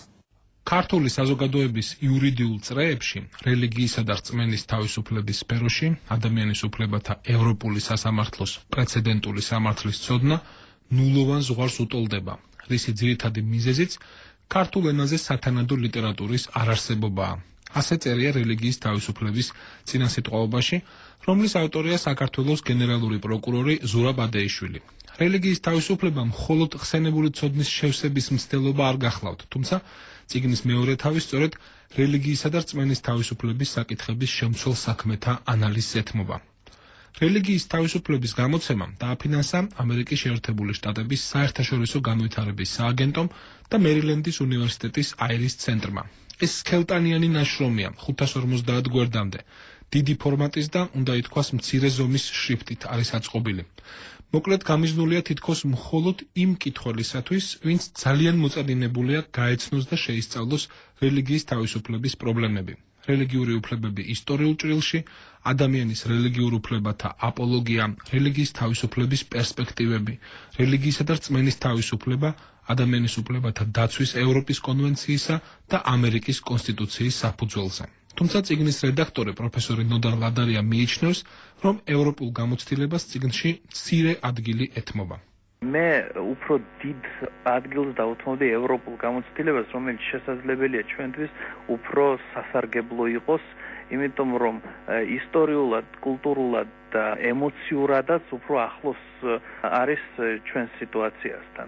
ქართული საზოგადოების იურიდიულ წრეებში რელიგიისა და რწმენის თავისუფლების სფეროში ადამიანის უფლებათა ევროპული სასამართლოს პრეცედენტული სამართლის ცოდნა ნულოვან ზღვარს უტოლდება, რისი ძირითადი მიზეზიც ქართულ ენაზე სათანადო ლიტერატურის არარსებობაა. ასე წერია რელიგიის თავისუფლების წინასიტყვაობაში, რომლის ავტორია საქართველოს გენერალური პროკურორი ზურაბ ადეიშვილი. რელიგიის თავისუფლება მხოლოდ ხსენებული ცოდნის შევსების მცდელობა არ გახლავთ, თუმცა წიგნის მეორე თავი სწორედ რელიგიისა და რწმენის თავისუფლების საკითხების შემცველ საქმეთა ანალიზს ეთმობა. რელიგიის თავისუფლების გამოცემა დააფინანსა ამერიკის შეერთებული შტატების საერთაშორისო განვითარების სააგენტომ და მერილენდის უნივერსიტეტის აირის ცენტრმა. ეს სქელტანიანი ნაშრომია ხუთას ორმოცდაათ გვერდამდე, დიდი ფორმატის და უნდა ითქვას მცირე ზომის შრიფტით არის აწყობილი. მოკლედ გამიზნულია თითქოს მხოლოდ იმ მკითხველისათვის, ვინც ძალიან მოწადინებულია გაეცნოს და შეისწავლოს რელიგიის თავისუფლების პრობლემები. რელიგიური უფლებები ისტორიულ ჭრილში, ადამიანის რელიგიურ უფლებათა აპოლოგია, რელიგიის თავისუფლების პერსპექტივები, რელიგიისა და რწმენის თავისუფლება, ადამიანის უფლებათა დაცვის ევროპის კონვენციისა და ამერიკის კონსტიტუციის საფუძველზე. თუმცა წიგნის რედაქტორი პროფესორი ნოდა ლადარია მიიჩნევს, რომ ევროპულ გამოცდილებას წიგნში მცირე ადგილი ეთმობა. მე უფრო დიდ ადგილს დავუთმობდი ევროპულ გამოცდილებას, რომელიც შესაძლებელია ჩვენთვის უფრო სასარგებლო იყოს, იმიტომ რომ ისტორიულად, კულტურულად და ემოციურადაც უფრო ახლოს არის ჩვენ სიტუაციასთან.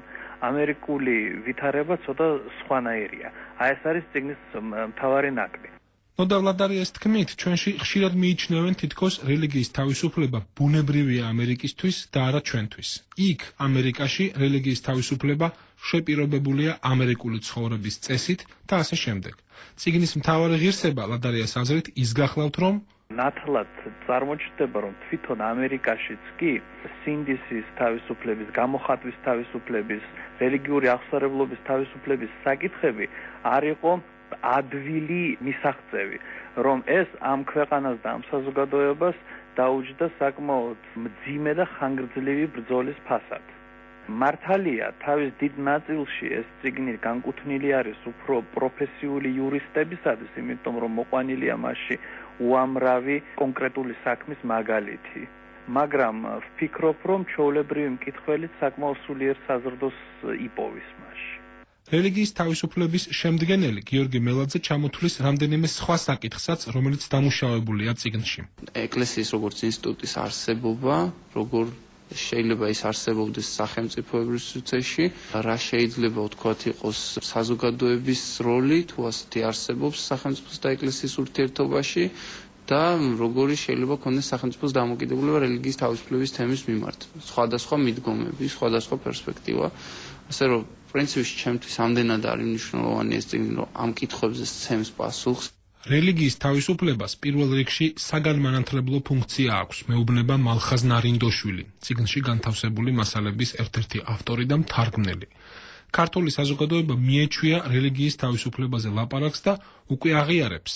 ამერიკული ვითარება ცოტა სხვანაირია. აი ეს არის წიგნის მთავარი ნაკლი. ნოდა ლადარიას თქმით, ჩვენში ხშირად მიიჩნევენ თითქოს რელიგიის თავისუფლება ბუნებრივია ამერიკისთვის და არა ჩვენთვის. იქ ამერიკაში რელიგიის თავისუფლება შეპირობებულია ამერიკული ცხოვრების წესით და ასე შემდეგ. წიგნის მთავარი ღირსება ლადარიას აზრით ის გახლავთ, რომ ნათლად წარმოჩნდება, რომ თვითონ ამერიკაშიც კი სინდისის თავისუფლების, გამოხატვის თავისუფლების, რელიგიური აღსარებლობის თავისუფლების საკითხები არ იყო ადვილი მისაღწევი, რომ ეს ამ ქვეყანას და ამ საზოგადოებას დაუჯდა საკმაოდ მძიმე და ხანგრძლივი ბრძოლის ფასად. მართალია, თავის დიდ ნაწილში ეს წიგნი განკუთვნილი არის უფრო პროფესიული იურისტებისათვის, იმიტომ რომ მოყვანილია მასში უამრავი კონკრეტული საქმის მაგალითი. მაგრამ ვფიქრობ, რომ ჩვეულებრივი მკითხველიც საკმაოდ სულიერ საზრდოს იპოვის მასში. რელიგიის თავისუფლების შემდგენელი გიორგი მელაძე ჩამოთვლის რამდენიმე სხვა საკითხსაც, რომელიც დამუშავებულია წიგნში. ეკლესიის როგორც ინსტიტუტის არსებობა, როგორ შეიძლება ის არსებობდეს სახელმწიფოებრივ სივრცეში, რა შეიძლება ვთქვათ იყოს საზოგადოების როლი, თუ ასეთი არსებობს სახელმწიფოს და ეკლესიის ურთიერთობაში და როგორი შეიძლება ქონდეს სახელმწიფოს დამოკიდებულება რელიგიის თავისუფლების თემის მიმართ. სხვადასხვა მიდგომები, სხვადასხვა პერსპექტივა. ასე რომ პრინციპში ჩემთვის ამდენად არის მნიშვნელოვანი ეს წიგნი, რომ ამ კითხვებზე სცემს პასუხს. რელიგიის თავისუფლებას პირველ რიგში საგანმანათლებლო ფუნქცია აქვს, მეუბნება მალხაზ ნარინდოშვილი, წიგნში განთავსებული მასალების ერთ-ერთი ავტორი და მთარგმნელი. ქართული საზოგადოება მიეჩვია რელიგიის თავისუფლებაზე ლაპარაკს და უკვე აღიარებს.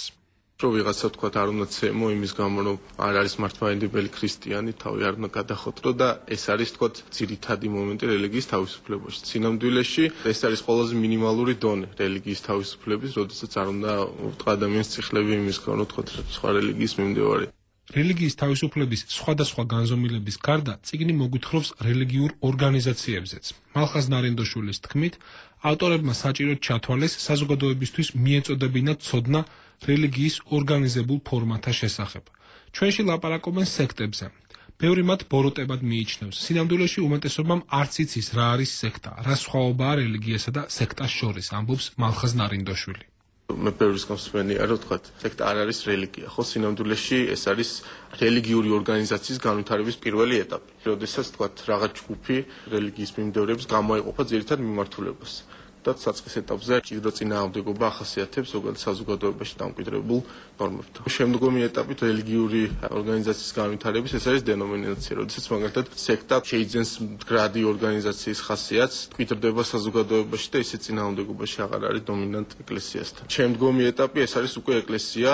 რომ ვიღაცა თქვა არ უნდა ცემო იმის გამო რომ არ არის მართლმადიდებელი ქრისტიანი, თავი არ უნდა გადახოტრო და ეს არის თქვა ძირითადი მომენტი რელიგიის თავისუფლებაში. სინამდვილეში ეს არის ყველაზე მინიმალური დონე რელიგიის თავისუფლების, როდესაც არ უნდა უთხრა ადამიანის ციხლები იმის გამო თქვა სხვა რელიგიის მიმდევარი. რელიგიის თავისუფლების სხვადასხვა განზომილების გარდა წიგნი მოგვითხრობს რელიგიურ ორგანიზაციებზეც. მალხაზ ნარინდოშვილის თქმით, ავტორებმა საჭიროდ ჩათვალეს საზოგადოებისთვის მიეწოდებინათ ცოდნა რელიგიის ორგანიზებულ ფორმათა შესახებ. ჩვენში ლაპარაკობენ სექტებზე. ბევრი მათ ბოროტებად მიიჩნევს. სინამდვილეში უმეტესობამ არც იცის რა არის სექტა, რა სხვაობაა რელიგიასა და სექტას შორის, ამბობს მალხაზ ნარინდოშვილი. მე ბევრის გამსმენია რომ თქვა სექტა არ არის რელიგია, ხო სინამდვილეში ეს არის რელიგიური ორგანიზაციის განვითარების პირველი ეტაპი. როდესაც თქვა რაღაც ჯგუფი რელიგიის მიმდევრებს გამოეყოფა ძირითად მიმართულებას. და საწყის ეტაპზე ჭიდრო წინააღმდეგობა ახასიათებს ზოგადად საზოგადოებაში დამკვიდრებულ ნორმებთან. შემდგომი ეტაპი რელიგიური ორგანიზაციის განვითარების ეს არის დენომინაცია, როდესაც მაგალითად სექტა შეიძენს მდგრადი ორგანიზაციის ხასიათს, მკვიდრდება საზოგადოებაში და ისე წინააღმდეგობაში აღარ არის დომინანტ ეკლესიასთან. შემდგომი ეტაპი ეს არის უკვე ეკლესია.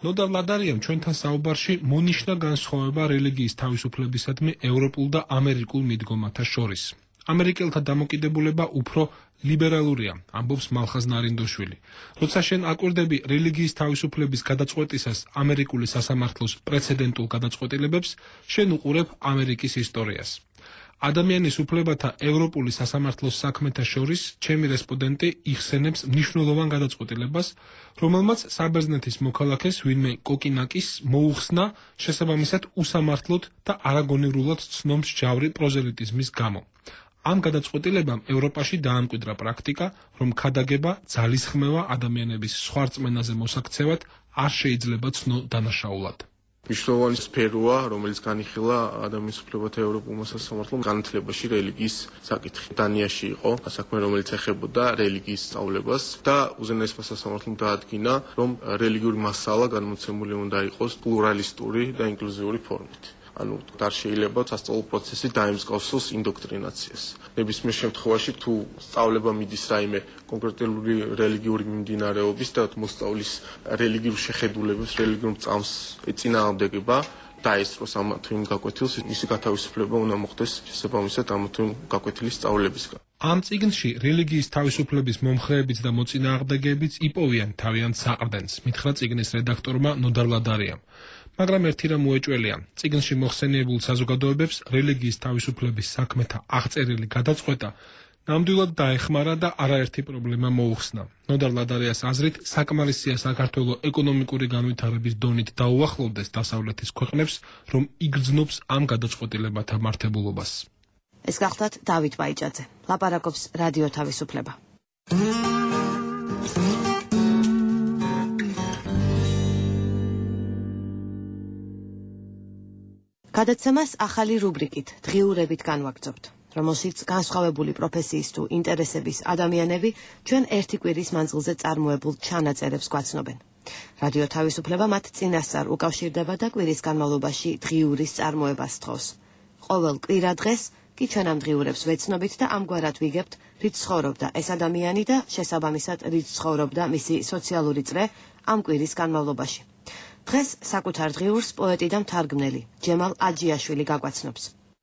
ნოდარ ლადარიამ ჩვენთან საუბარში მონიშნა განსხვავება რელიგიის თავისუფლებისადმი ევროპულ და ამერიკულ მიდგომათა შორის. ამერიკელთა დამოკიდებულება უფრო ლიბერალურია, ამბობს მალხაზ ნარინდოშვილი. როცა შენ აკვირდები რელიგიის თავისუფლების გადაწყვეტისას ამერიკული სასამართლოს პრეცედენტულ გადაწყვეტილებებს, შენ უყურებ ამერიკის ისტორიას. ადამიანის უფლებათა ევროპული სასამართლოს საქმეთა შორის ჩემი რესპონდენტი იხსენებს მნიშვნელოვან გადაწყვეტილებას, რომელმაც საბერძნეთის მოქალაქეს ვინმე კოკინაკის მოუხსნა შესაბამისად უსამართლოდ და არაგონივრულად ცნობს ჯავრი პროზელიტიზმის გამო. ამ გადაწყვეტილებამ ევროპაში დაამკვიდრა პრაქტიკა, რომ ქადაგება, ძალისხმევა ადამიანების სხვა რწმენაზე მოსაქცევად არ შეიძლება ცნო დანაშაულად. მნიშვნელოვანი სფეროა, რომელიც განიხილა ადამიანის უფლებათა ევროპულმა სასამართლომ განათლებაში რელიგიის საკითხი. დანიაში იყო საქმე, რომელიც ეხებოდა რელიგიის სწავლებას და უზენაესმა სასამართლომ დაადგინა, რომ რელიგიური მასალა განმოცემული უნდა იყოს პლურალისტური და ინკლუზიური ფორმით. ანუ არ შეიძლება სასწავლო პროცესი დაემსგავსოს ინდოქტრინაციას. ნებისმიერ შემთხვევაში თუ სწავლება მიდის რაიმე კონკრეტული რელიგიური მიმდინარეობის და მოსწავლის რელიგიურ შეხედულებებს, რელიგიურ წამს ეწინააღმდეგება, დაესწროს ამ თუ იმ გაკვეთილს, მისი გათავისუფლება უნდა მოხდეს შესაბამისად ამ თუ იმ გაკვეთილის სწავლებისგან. ამ წიგნში რელიგიის თავისუფლების მომხრეებიც და მოწინააღმდეგეებიც იპოვიან თავიანთ საყრდენს, მითხრა წიგნის რედაქტორმა ნოდარ ლადარიამ. მაგრამ ერთი რამ მოეჭველია, წიგნში მოხსენიებულ საზოგადოებებს რელიგიის თავისუფლების საქმეთა აღწერილი გადაწყვეტა ნამდვილად დაეხმარა და არაერთი პრობლემა მოუხსნა. ნოდარ ლადარიას აზრით, საკმარისია საქართველოს ეკონომიკური განვითარების დონით დაუახლოვდეს დასავლეთის ქვეყნებს, რომ იგრძნობს ამ გადაწყვეტილებათა მართებულობას. ეს გახლდათ დავით ბაიჭაძე. ლაპარაკობს რადიო თავისუფლება. გადაცემას ახალი რუბრიკით დღიურებით განვაგრძობთ, რომელშიც განსხვავებული პროფესიის თუ ინტერესების ადამიანები ჩვენ ერთი კვირის მანძილზე წარმოებულ ჩანაწერებს გვაცნობენ. რადიო თავისუფლება მათ წინასწარ უკავშირდება და კვირის განმავლობაში დღიურის წარმოებას თხოვს. ყოველ კვირა დღეს კი ჩვენ ამ დღიურებს ვეცნობით და ამგვარად ვიგებთ, რით ცხოვრობდა ეს ადამიანი და შესაბამისად რით ცხოვრობდა მისი სოციალური წრე ამ კვირის განმავლობაში. დღეს საკუთარ დღიურს პოეტი და მთარგმნელი ჯემალ აჯიაშვილი გაგვაცნობს.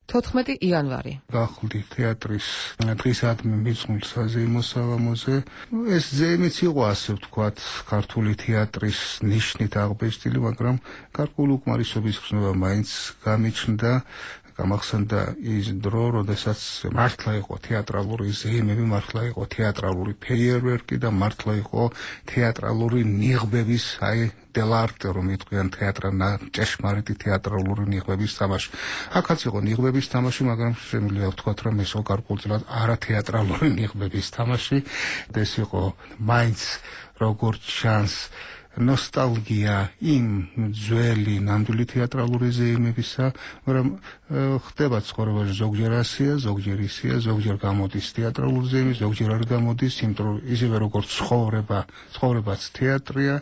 თოთხმეტი იანვარი. გახლდი თეატრის დღისადმი მიწმულ საზეიმო საღამოზე. ეს ზეიმიც იყო ასე ვთქვათ, ქართული თეატრის ნიშნით აღბეჭდილი, მაგრამ გარკვეული უკმარისობის ხსნება მაინც გამიჩნდა. გამახსენდა ის დრო, როდესაც მართლა იყო თეატრალური ზეიმები, მართლა იყო თეატრალური ფეიერვერკი და მართლა იყო თეატრალური ნიღბების აი დელარტე რომ იტყვიან თეატრა ჭეშმარიტი თეატრალური ნიღბების თამაში. აქაც იყო ნიღბების თამაში, მაგრამ შემიძლია ვთქვათ, რომ ეს გარკვეულწილად არა თეატრალური ნიღბების თამაში. ეს იყო მაინც როგორც ჩანს ნოსტალგია იმ ძველი ნამდვილი თეატრალური ზეიმებისა, მაგრამ ხდება ცხოვრებაში ზოგჯერ ასია, ზოგჯერ ისია, ზოგჯერ გამოდის თეატრალური ზეიმი, ზოგჯერ არ გამოდის, იმიტომ რომ ისევე როგორც ცხოვრება, ცხოვრებაც თეატრია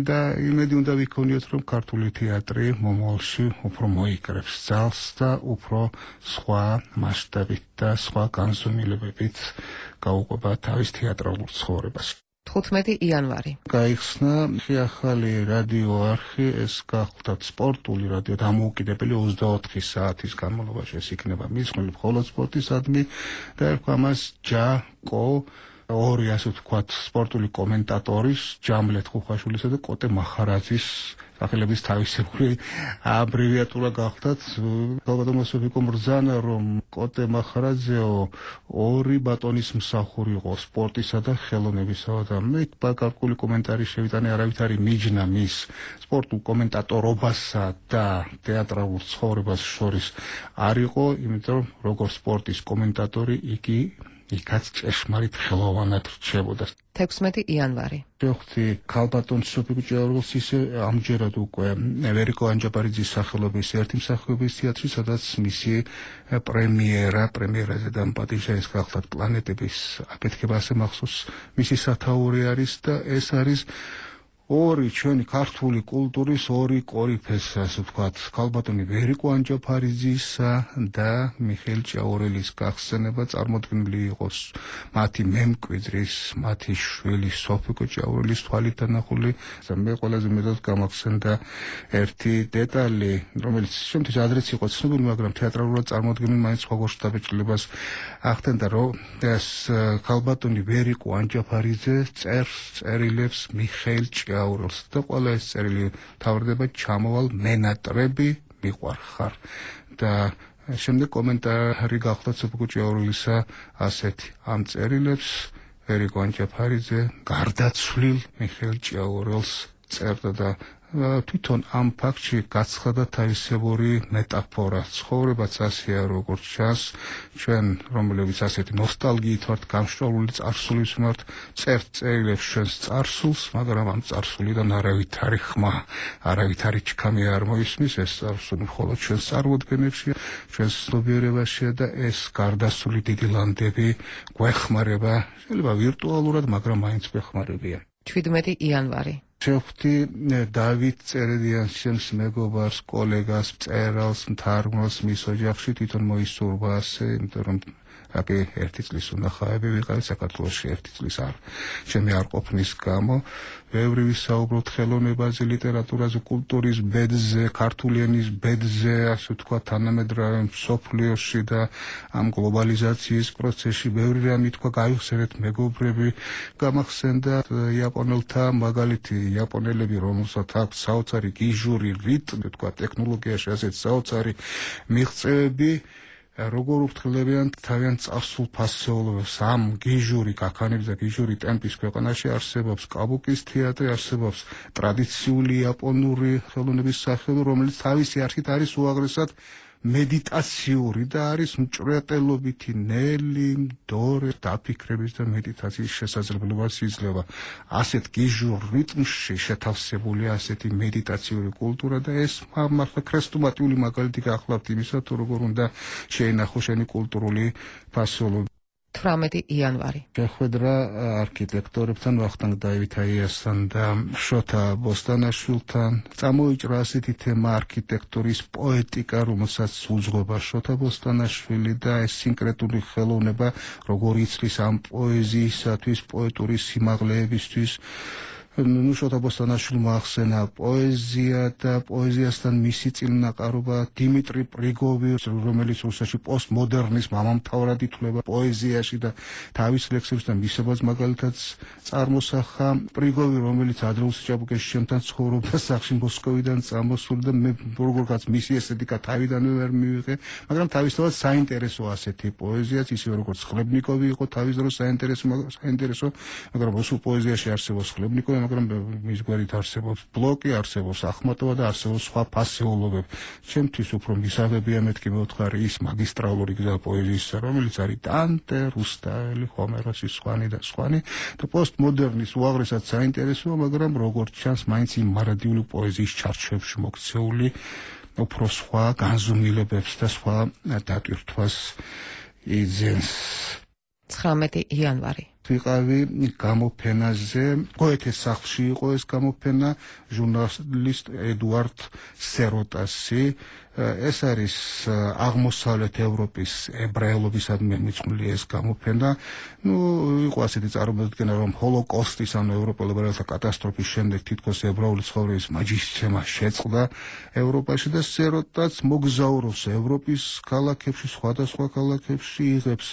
და იმედი უნდა ვიქონიოთ, რომ ქართული თეატრი მომავალში უფრო მოიკრებს ძალს და უფრო სხვა მასშტაბით და სხვა განზომილებებით გაუყვება თავის თეატრალურ ცხოვრებას. თხუთმეტი იანვარი. გაიხსნა ახალი რადიო არხი, ეს გახლდათ სპორტული რადიო, დამოუკიდებელი ოცდაოთხი საათის განმავლობაში ეს იქნება მისმული მხოლოდ სპორტისადმი და ერქვა მას ჯაკო, ორი ასე ვთქვათ სპორტული კომენტატორის, ჯამლეთ ხუხაშვილისა და კოტე მახარაძის სახელების თავისებური აბრევიატურა გახლდათ. ალბათ მოსოფიკო მბრძანა, რომ კოტე მახარაძეო ორი ბატონის მსახური იყო სპორტისა და ხელოვნებისა და მე გარკვეული კომენტარი შევიტანე, არავითარი მიჯნა მის სპორტულ კომენტატორობასა და თეატრალურ ცხოვრებას შორის არ იყო, იმიტომ რომ როგორც სპორტის კომენტატორი იგი იქაც ჭეშმარიტ ხელოვანად რჩებოდა. თექვსმეტი იანვარი. შევხვდი ქალბატონ სოფიკო ჭიაურელს ისე ამჯერად უკვე ვერიკო ანჯაპარიძის სახელობის ერთი მსახიობის თეატრი, სადაც მისი პრემიერა, პრემიერაზე დამპატიჟა ეს გახლდათ პლანეტების აფეთქება ასე მახსოვს მისი სათაური არის და ეს არის ორი ჩვენი ქართული კულტურის ორი კორიფეს, ასე ვთქვათ, ქალბატონი ვერიკო ანჯაფარიძისა და მიხეილ ჭიაურელის გახსენება წარმოდგენილი იყოს მათი მემკვიდრის, მათი შვილი სოფიკო ჭიაურელის თვალით დანახული. მე ყველაზე მეტად გამახსენდა ერთი დეტალი, რომელიც შემთხვევით ადრეც იყო ცნობილი, მაგრამ თეატრალურად წარმოდგენილი მაინც სხვაგორ შთაბეჭდილებას ახდენდა, რომ ეს ქალბატონი ვერიკო ანჯაფარიძე წერს, წერილებს მიხეილ ჭიაურელს და ყველა ეს წერილი თავდება ჩამოვალ მენატრები მიყვარხარ და შემდეგ კომენტარი გახლდათ სოფიკო ჭიაურელისა ასეთი ამ წერილებს ვერიკო ანჯაფარიძე გარდაცვლილ მიხეილ ჭიაურელს წერდა და თვითონ ამ ფაქტში გაცხადა თავისებური მეტაფორა. ცხოვრებაც ასეა როგორც ჩანს, ჩვენ რომლებიც ასეთი ნოსტალგიით ვართ გამშრალული წარსულის მიმართ, წერთ წერილებს ჩვენს წარსულს, მაგრამ ამ წარსულიდან არავითარი ხმა, არავითარი ჩქამი არ მოისმის, ეს წარსული მხოლოდ ჩვენს წარმოდგენებშია, ჩვენს ცნობიერებაშია და ეს გარდასული დიდი ლანდები გვეხმარება, შეიძლება ვირტუალურად, მაგრამ მაინც გვეხმარებიან. შვიდმეტი იანვარი. შევხვდი დავით წერედიანს, ჩემს მეგობარს, კოლეგას, მწერალს, მთარგმნელს მის ოჯახში, თვითონ მოისურვა ასე, იმიტომ რომ აკი ერთი წლის უნახავები ვიყავით საქართველოში ერთი წლის არ ჩემი არ ყოფნის გამო. ბევრი ვისაუბროთ ხელოვნებაზე, ლიტერატურაზე, კულტურის ბედზე, ქართული ენის ბედზე, ასე ვთქვათ, თანამედროვე მსოფლიოში და ამ გლობალიზაციის პროცესში ბევრი რამე თქვა, გაიხსენეთ მეგობრები, გამახსენდა იაპონელთა მაგალითი, იაპონელები, რომელსაც აქვს საოცარი გიჟური რიტმი, ვთქვათ, ტექნოლოგიაში ასეთ საოცარი მიღწევები, როგორ უფრთხილებიან თავიანთ წარსულ ფასეულობებს ამ გიჟური გაქანების და გიჟური ტემპის ქვეყანაში არსებობს კაბუკის თეატრი, არსებობს ტრადიციული იაპონური ხელოვნების სახეობა, რომელიც თავისი არხით არის უაღრესად მედიტაციური და არის მჭვრეტელობითი ნელი, მდორე დაფიქრების და მედიტაციის შესაძლებლობას იძლევა. ასეთ გიჟურ რიტმში შეთავსებულია ასეთი მედიტაციური კულტურა და ეს მართლა ქრესტუმატიული მაგალითი გახლავთ იმისა, თუ როგორ უნდა შეინახო შენი კულტურული ფასეულობა. თვრამეტი იანვარი. შეხვედრა არქიტექტორებთან, ვახტანგ დავითაიასთან და შოთა ბოსტანაშვილთან. წამოიჭრა ასეთი თემა არქიტექტურის პოეტიკა, რომელსაც უძღვება შოთა ბოსტანაშვილი და ეს სინკრეტული ხელოვნება, როგორ იცლის ამ პოეზიისათვის, პოეტური სიმაღლეებისთვის. ნუ შოთა ბოსტანაშვილმა ახსენა პოეზია და პოეზიასთან მისი წინანაყარობა დიმიტრი პრიგოვი, რომელიც რუსეთში პოსტმოდერნის მამამთავრად ითვლება პოეზიაში და თავის ლექსებსთან მისებაც მაგალითად წარმოსახა. პრიგოვი, რომელიც ადრეულ ჭაბუკეში ჩემთან ცხოვრობდა სახლში მოსკოვიდან წამოსული და მე როგორღაც მისი ესთეტიკა თავიდანვე ვერ მივიღე, მაგრამ თავისთავად საინტერესო ასეთი პოეზიაც, ისევე როგორც ხლებნიკოვი იყო თავის დროს საინტერესო, საინტერესო, მაგრამ რუსულ პოეზიაში არსებობს ხლებნიკოვი, მაგრამ მის გვერდით არსებობს ბლოკი, არსებობს ახმატოვა და არსებობს სხვა ფასეულობები. ჩემთვის უფრო მისაღებია მეთქი მეოთხარი ის მაგისტრალური გზა პოეზიისა, რომელიც არის დანტე, რუსტაელი, ჰომეროსი, სხვანი და სხვანი და პოსტმოდერნის უაღრესად საინტერესოა, მაგრამ როგორც ჩანს, მაინც იმ მარადიული პოეზიის ჩარჩოებში მოქცეული უფრო სხვა განზომილებებს და სხვა დატვირთვას იძენს. ცხრამეტი იანვარი. ვიყავი გამოფენაზე, გოეთეს სახლში იყო ეს გამოფენა, ჟურნალისტ ედუარდ სეროტასი. ეს არის აღმოსავლეთ ევროპის ებრაელობისადმი მიძღვნილი ეს გამოფენა. ნუ იყო ასეთი წარმოდგენა, რომ ჰოლოკოსტის ანუ ევროპელ ებრაელთა კატასტროფის შემდეგ თითქოს ებრაული ცხოვრების მაჯისცემა შეწყდა ევროპაში და სეროტაც მოგზაურობს ევროპის ქალაქებში, სხვადასხვა ქალაქებში, იღებს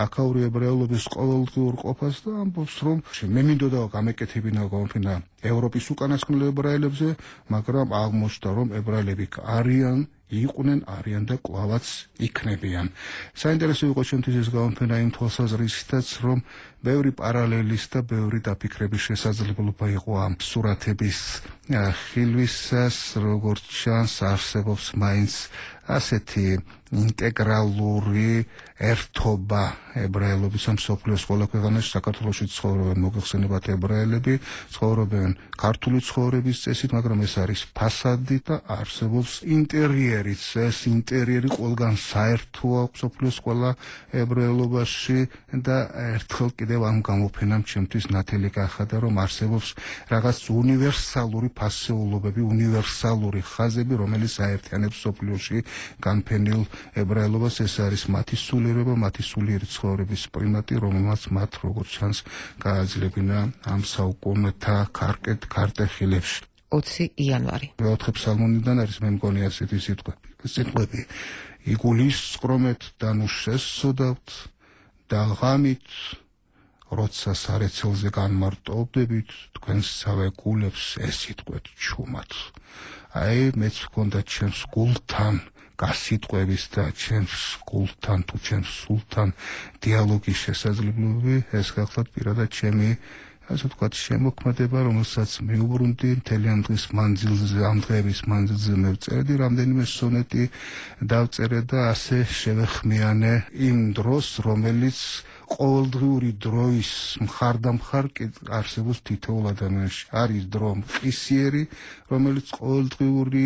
აქაური ებრაელობის ყოველდღიურ ყოფას და ამბობს, რომ მე მინდოდა გამეკეთებინა გამოფენა ევროპის უკანასკნელ ებრაელებზე, მაგრამ აღმოჩნდა, რომ ებრაელები არიან იყვნენ, არიან და კვლავაც იქნებიან. საინტერესო იყო ჩემთვის ეს გამოფენა იმ თვალსაზრისითაც, რომ ბევრი პარალელის და ბევრი დაფიქრების შესაძლებლობა იყო ამ სურათების ხილვისას, როგორც ჩანს, არსებობს მაინც ასეთი ინტეგრალური ერთობა ებრაელობისა მსოფლიოს ყველა ქვეყანაში, საქართველოში ცხოვრობენ მოგეხსენებათ ებრაელები, ცხოვრობენ ქართული ცხოვრების წესით, მაგრამ ეს არის ფასადი და არსებობს ინტერიერიც. ეს ინტერიერი ყველგან საერთოა მსოფლიოს ყველა ებრაელობაში და ერთხელ კიდევ ამ გამოფენამ ჩემთვის ნათელი გახადა, რომ არსებობს რაღაც უნივერსალური ფასეულობები, უნივერსალური ხაზები, რომელიც აერთიანებს მსოფლიოში განფენილ ებრაელობას. ეს არის მათი სულიერება, მათი სულიერი ცხოვრების პრიმატი, რომელმაც მათ როგორც ჩანს გააძლებინა ამ საუკუნეთა ქარკეთ ქარტეხილებში. ოცი იანვარი. მეოთხე ფსალმუნიდან არის მე მგონი ასეთი სიტყვები. სიტყვები იგულის სკრომეთ და ნუ შესწოდავთ და ღამით როცა სარეცელზე განმარტოვდებით თქვენს სავე გულებს ესიტყვეთ ჩუმად. აი მეც ვქონდა ჩემს გულთან გასიტყვების და ჩემს გულთან თუ ჩემს სულთან დიალოგის შესაძლებლობები, ეს გახლავთ პირადად ჩემი ასე ვთქვათ შემოქმედება, რომელსაც მიუბრუნდი მთელი ამ დღის მანძილზე, ამ დღეების მანძილზე მე ვწერდი რამდენიმე სონეტი დავწერე და ასე შევეხმიანე იმ დროს, რომელიც ყოველდღიური დროის მხარდამხარ არსებობს თითოეულ ადამიანში. არის დრო მყისიერი, რომელიც ყოველდღიური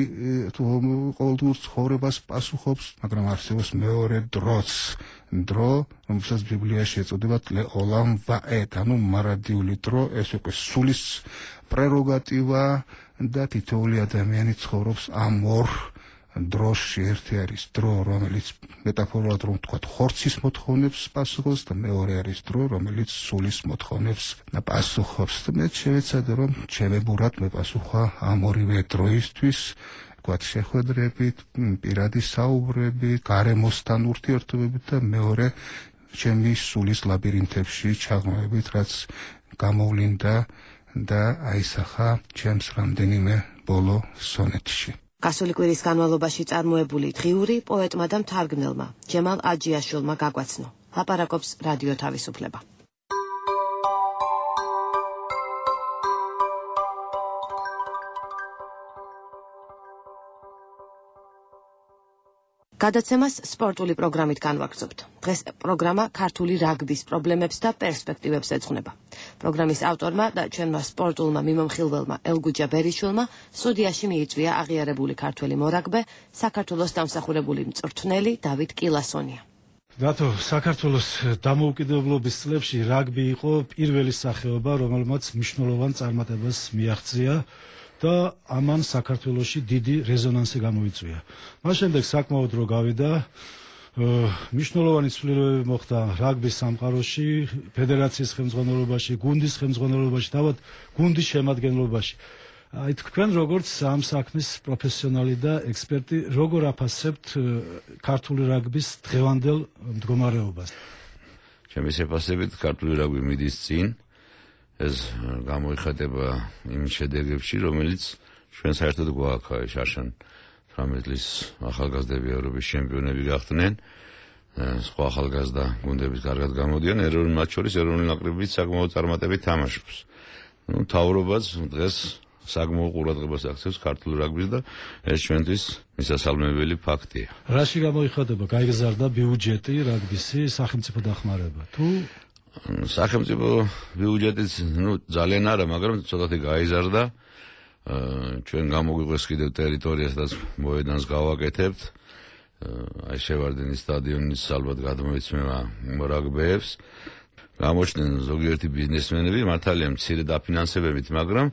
ყოველდღიურ ცხოვრებას პასუხობს, მაგრამ არსებობს მეორე დროც. დრო, რომელსაც ბიბლიაში ეწოდებათ ლეოლამ ვაეთ, ანუ მარადიული დრო, ეს უკვე სულის პრეროგატივა და თითოეული ადამიანი ცხოვრობს ამ ორ დროში. ერთი არის დრო, რომელიც მეტაფორულად რომ ვთქვათ, ხორცის მოთხოვნებს პასუხობს და მეორე არის დრო, რომელიც სულის მოთხოვნებს პასუხობს. და მე შევეცადე, რომ ჩემებურად მეპასუხა ამ ორივე დროისთვის, ვთქვათ, შეხვედრებით, პირადი საუბრებით, გარემოსთან ურთიერთობებით და მეორე ჩემი სულის ლაბირინთებში ჩაღმებით, რაც გამოვლინდა და აისახა ჩემს რამდენიმე ბოლო სონეტში. გასული კვირის განმავლობაში წარმოებული დღიური პოეტმა და მთარგმნელმა ჯემალ აჯიაშვილმა გაგვაცნო. ლაპარაკობს რადიო თავისუფლება. გადაცემას სპორტული პროგრამით განვაგრძობთ. დღეს პროგრამა ქართული რაგბის პრობლემებს და პერსპექტივებს ეძღვნება. პროგრამის ავტორმა და ჩვენმა სპორტულმა მიმომხილველმა ელგუჯა ბერიშვილმა სტუდიაში მიიწვია აღიარებული ქართველი მორაგბე, საქართველოს დამსახურებული მწვრთნელი დავით კილასონია. რატო საქართველოს დამოუკიდებლობის წლებში რაგბი იყო პირველი სახეობა, რომელმაც მნიშვნელოვან წარმატებას მიაღწია და ამან საქართველოში დიდი რეზონანსი გამოიწვია. მას შემდეგ საკმაოდ რო გავიდა, მნიშვნელოვანი ცვლილებები მოხდა რაგბის სამყაროში, ფედერაციის ხელმძღვანელობაში, გუნდის ხელმძღვანელობაში, თავად გუნდის შემადგენლობაში. აი თქვენ როგორც ამ საქმის პროფესიონალი და ექსპერტი, როგორ აფასებთ ქართული რაგბის დღევანდელ მდგომარეობას? ჩემი შეფასებით ქართული რაგბი მიდის წინ. ეს გამოიხატება იმ შედეგებში, რომელიც ჩვენ საერთოდ გვაქვს შარშან თვრამეტი წლის ახალგაზრდები ევროპის ჩემპიონები გახდნენ. სხვა ახალგაზრდა გუნდების კარგად გამოდიან, ეროვნულ მათ შორის ეროვნული ნაკრებიც საკმაოდ წარმატებით თამაშობს. ნუ თავრობაც დღეს საგმო ყურადღებას აქცევს ქართულ რაგბის და ეს ჩვენთვის მისასალმებელი ფაქტია. რაში გამოიხატება გაიგზავნა ბიუჯეტი რაგბისი სახელმწიფო დახმარება თუ სახელმწიფო ბიუჯეტიც ნუ ძალიან არა, მაგრამ ცოტათი გაიზარდა. ჩვენ გამოგვიყვეს კიდევ ტერიტორია, სადაც მოედანს გავაკეთებთ. აი შევარდენის სტადიონის ალბათ გადმოიცემა რაგბეებს. გამოჩნდნენ ზოგიერთი ბიზნესმენები, მართალია მცირე დაფინანსებებით, მაგრამ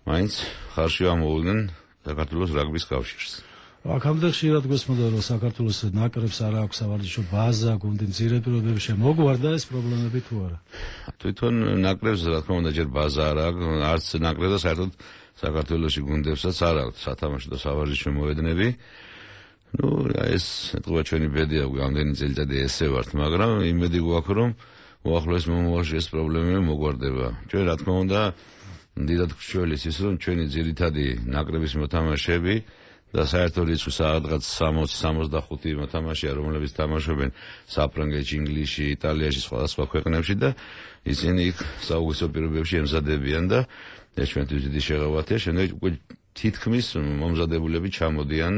მაინც ხარში ამოუვდნენ საქართველოს რაგბის კავშირს. აქამდე ხშირად გვესმოდა, რომ საქართველოს ნაკრებს არ აქვს სავარჯიშო ბაზა, გუნდი მცირე პირობებში მოგვარდა ეს პრობლემები თუ არა? თვითონ ნაკრებს რა თქმა უნდა ჯერ ბაზა არ აქვს, არც ნაკრებს და საერთოდ საქართველოში გუნდებსაც არ აქვს სათამაშო და სავარჯიშო მოედნები. ნუ ეს ეთქვა ჩვენი ბედია, გამდენი წელიწადი ესე ვართ, მაგრამ იმედი გვაქვს, რომ უახლოეს მომავალში ეს პრობლემები მოგვარდება. ჩვენ რა თქმა უნდა დიდად გვშველის ის, რომ ჩვენი ძირითადი ნაკრების მოთამაშეები და საერთო რიცხვი სადღაც სამოცი სამოცდახუთი მოთამაშეა, რომლებიც თამაშობენ საფრანგეთში, ინგლისში, იტალიაში, სხვადასხვა ქვეყნებში და ისინი იქ საუკეთესო პირობებში ემზადებიან და ეს ჩვენთვის დიდი შეღავათია. შემდეგ უკვე თითქმის მომზადებულები ჩამოდიან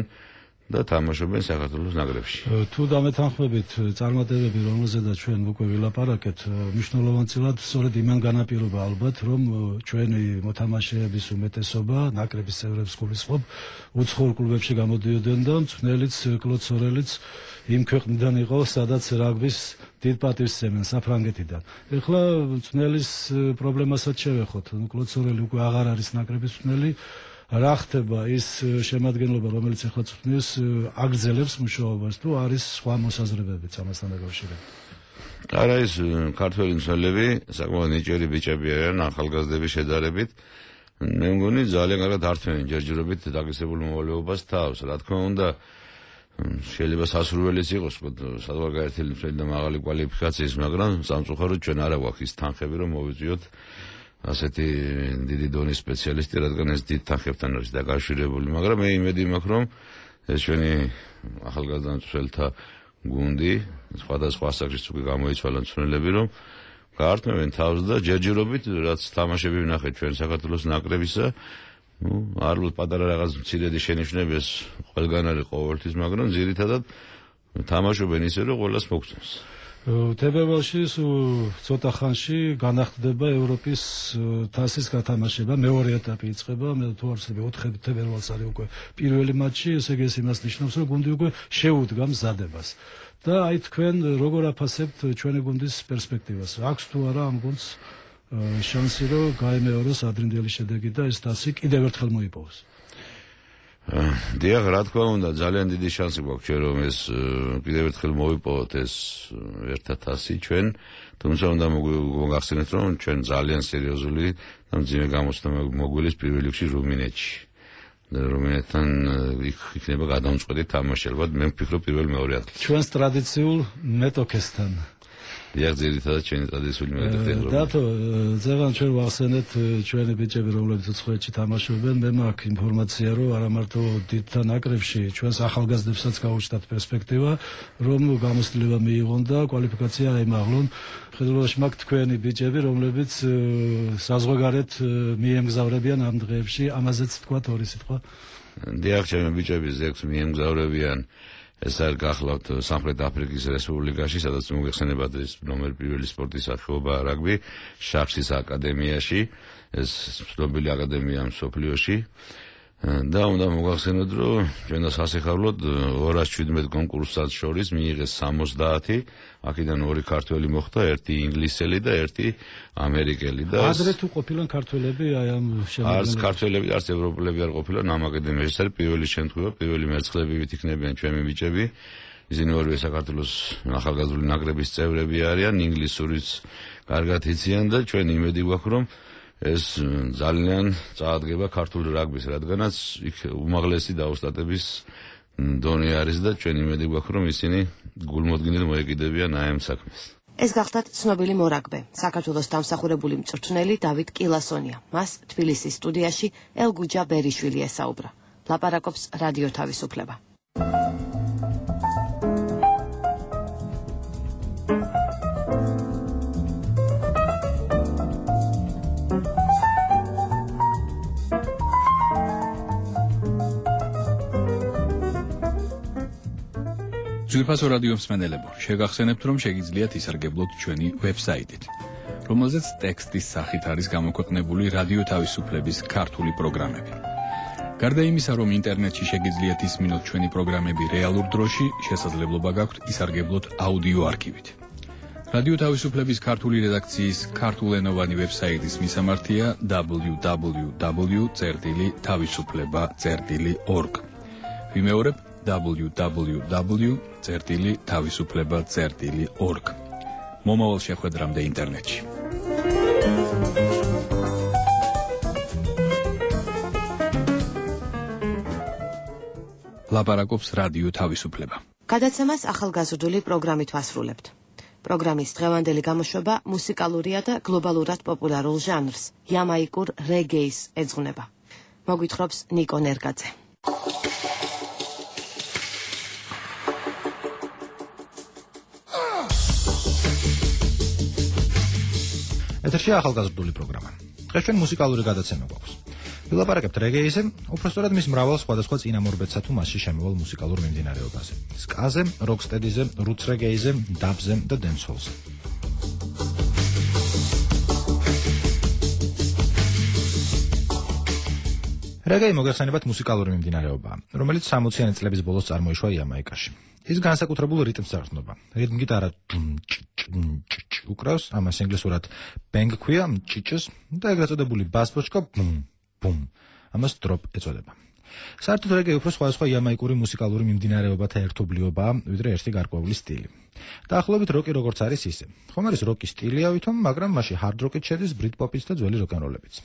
და თამაშობენ საქართველოს ნაკრებში. თუ დამეთანხმებით წარმატებები, რომელზედაც ჩვენ უკვე ვილაპარაკეთ, მნიშვნელოვანწილად სწორედ იმან განაპირობა ალბათ, რომ ჩვენი მოთამაშეების უმეტესობა ნაკრების წევრებს გულისხმობ უცხოურ კლუბებში გამოდიოდნენ და მწვრთნელიც კლოდ სორელიც იმ ქვეყნიდან იყო, სადაც რაგბის დიდ პატივს სცემენ, საფრანგეთიდან. ეხლა მწვრთნელის პრობლემასაც შევეხოთ. კლოდ სორელი უკვე აღარ არის ნაკრების მწვრთნელი. რა ხდება ის შემადგენლობა, რომელიც ახლა წვრთნის, აგრძელებს მუშაობას თუ არის სხვა მოსაზრებებიც ამასთან დაკავშირებით? არა, ის ქართველი მცველები საკმაოდ ნიჭიერი ბიჭები არიან ახალგაზრდების შედარებით. მე მგონი ძალიან კარგად ართმევენ ჯერჯერობით დაგისებულ მოვალეობას თავს. რა თქმა უნდა, შეიძლება სასურველიც იყოს საზღვარგარეთელი მცველი და მაღალი კვალიფიკაციის, მაგრამ სამწუხაროდ ჩვენ არა გვაქვს ის თანხები, რომ მოვიწვიოთ ასეთი დიდი დონის სპეციალისტი, რადგან ეს დიდ თანხებთან არის დაკავშირებული, მაგრამ მე იმედი მაქვს, რომ ეს ჩვენი ახალგაზრდა მცველთა გუნდი სხვადასხვა ასაკში უკვე გამოიცვალა მცველები, რომ გაართმევენ თავს და ჯერჯერობით, რაც თამაშები ვნახეთ ჩვენ საქართველოს ნაკრებისა, ნუ არულ პატარა რაღაც მცირედი შენიშვნები ეს ყველგან არის ყოველთვის, მაგრამ ძირითადად თამაშობენ ისე, რომ ყველას მოგწონს. თებერვალში ცოტა ხანში განახდება ევროპის თასის გათამაშება, მეორე ეტაპი იწყება, მე თუ არ ვცდები ოთხი თებერვალს არის უკვე პირველი მატჩი, ესე იგი ეს იმას ნიშნავს, რომ გუნდი უკვე შეუდგა მზადებას. და აი თქვენ როგორ აფასებთ ჩვენი გუნდის პერსპექტივას? აქვს თუ არა ამ გუნდს შანსი, რომ გაემეოროს ადრინდელი შედეგი და ეს თასი კიდევ ერთხელ მოიპოვოს? დიახ, რა თქმა უნდა, ძალიან დიდი შანსი გვაქვს ჩვენ, რომ ეს კიდევ ერთხელ მოვიპოვოთ ეს ერთად თასი ჩვენ, თუმცა უნდა მოგახსენოთ, რომ ჩვენ ძალიან სერიოზული და მძიმე გამოცდა მოგვილის პირველ რიგში რუმინეთში. რუმინეთთან იქ იქნება გადამწყვეტი თამაში, ალბათ მე ვფიქრობ პირველ მეორე ადგილში. ჩვენს ტრადიციულ მეტოქესთან. დიახ, ძირითადად ჩვენი ტრადიციული მეტოქესთან. დათო, ზევან ჩვენ ვახსენეთ ჩვენი ბიჭები, რომლებიც უცხოეთში თამაშობენ, მე მაქვს ინფორმაცია, რომ არა მარტო დიდთა ნაკრებში ჩვენს ახალგაზრდებსაც გაუჩნდათ პერსპექტივა, რომ გამოცდილება მიიღონ და კვალიფიკაცია აიმაღლონ. ხედულობაში მაქვს თქვენი ბიჭები, რომლებიც საზღვარგარეთ მიემგზავრებიან ამ დღეებში, ამაზეც თქვათ ორი სიტყვა. დიახ, ჩემი ბიჭები ზექს მიემგზავრებიან. ეს არ გახლავთ სამხრეთ აფრიკის რესპუბლიკაში, სადაც მოგეხსენებათ ეს ნომერ პირველი სპორტის სახეობა რაგბი, შახშის აკადემიაში, ეს ცნობილი აკადემია მსოფლიოში. და უნდა მოგახსენოთ, რომ ჩვენ სასიხარულოდ ორას შვიდმეტ კონკურსად შორის მიიღეს სამოცდაათი, აქედან ორი ქართველი მოხდა, ერთი ინგლისელი და ერთი ამერიკელი და ადრე თუ ყოფილან ქართველები აი ამ შემოგვიყვება. არც ქართველები, არც ევროპელები არ ყოფილან ამ აკადემიაში. ეს არის პირველი შემთხვევა, პირველი მერცხლებივით იქნებიან ჩვენი ბიჭები. ისინი ორივე საქართველოს ახალგაზრდული ნაკრების წევრები არიან, ინგლისურიც კარგად იციან და ჩვენ იმედი გვაქვს, რომ ეს ძალიან წაადგება ქართული რაგბის, რადგანაც იქ უმაღლესი დაოსტატების დონე არის და ჩვენ იმედი გვაქვს, რომ ისინი გულმოდგინედ მოეკიდებიან აი ამ საქმეს. ეს გახლავთ ცნობილი მორაგბე, საქართველოს დამსახურებული მწვრთნელი დავით კილასონია. მას თბილისის სტუდიაში ელგუჯა ბერიშვილი ესაუბრა. ლაპარაკობს რადიო თავისუფლება. ძვირფასო რადიო მსმენელებო, შეგახსენებთ, რომ შეგიძლიათ ისარგებლოთ ჩვენი ვებსაიტით, რომელზეც ტექსტის სახით არის გამოქვეყნებული რადიო თავისუფლების ქართული პროგრამები. გარდა იმისა, რომ ინტერნეტში შეგიძლიათ ისმინოთ ჩვენი პროგრამები რეალურ დროში, შესაძლებლობა გაქვთ ისარგებლოთ აუდიო არქივით. რადიო თავისუფლების ქართული რედაქციის ქართულენოვანი ვებსაიტის მისამართია დაბლიუ დაბლიუ დაბლიუ წერტილი თავისუფლება წერტილი ორგ. ვიმეორებ დაბლიუ დაბლიუ დაბლიუ წერტილი თავისუფლება წერტილი ორგ. მომავალ შეხვედრამდე ინტერნეტში. ლაპარაკობს რადიო თავისუფლება. გადაცემას ახალგაზრდული პროგრამით ვასრულებთ. პროგრამის დღევანდელი გამოშვება მუსიკალურია და გლობალურად პოპულარულ ჟანრს, იამაიკურ რეგეის ეძღვნება. მოგვითხრობს ნიკო ნერგაძე. ეთერში ახალგაზრდული პროგრამა. დღეს ჩვენ მუსიკალური გადაცემა გვაქვს. ვილაპარაკებთ რეგეიზე, უпростоრად მის მრავალ სხვადასხვა წინამორბედსა თუ მასში შემავალ მუსიკალურ მიმდინარეობაზე. სკაზე, როკსტედიზე, რუც რეგეიზე, დაბზე და დენსჰოლზე. რეგეი მოგეხსენებათ მუსიკალური მიმდინარეობაა, რომელიც სამოციანი წლების ბოლოს წარმოიშვა იამაიკაში. ის განსაკუთრებულ რიტმს აღწნობა. რიტმ გიტარა უკრავს, ამას ინგლისურად bang ქვია, ჭიჭს და ეგრეთ წოდებული ბას ბოჩკა ბუმ ბუმ. ამას დროპ ეწოდება. საერთოდ რეგეი უფრო სხვადასხვა იამაიკური მუსიკალური მიმდინარეობათა ერთობლიობაა, ვიდრე ერთი გარკვეული სტილი. დაახლოებით როკი როგორც არის ისე. ხომ არის როკის სტილია ვითომ, მაგრამ მასში ჰარდ როკიც შედის, ბრიტ პოპიც და ძველი როკ-ენ-როლებიც.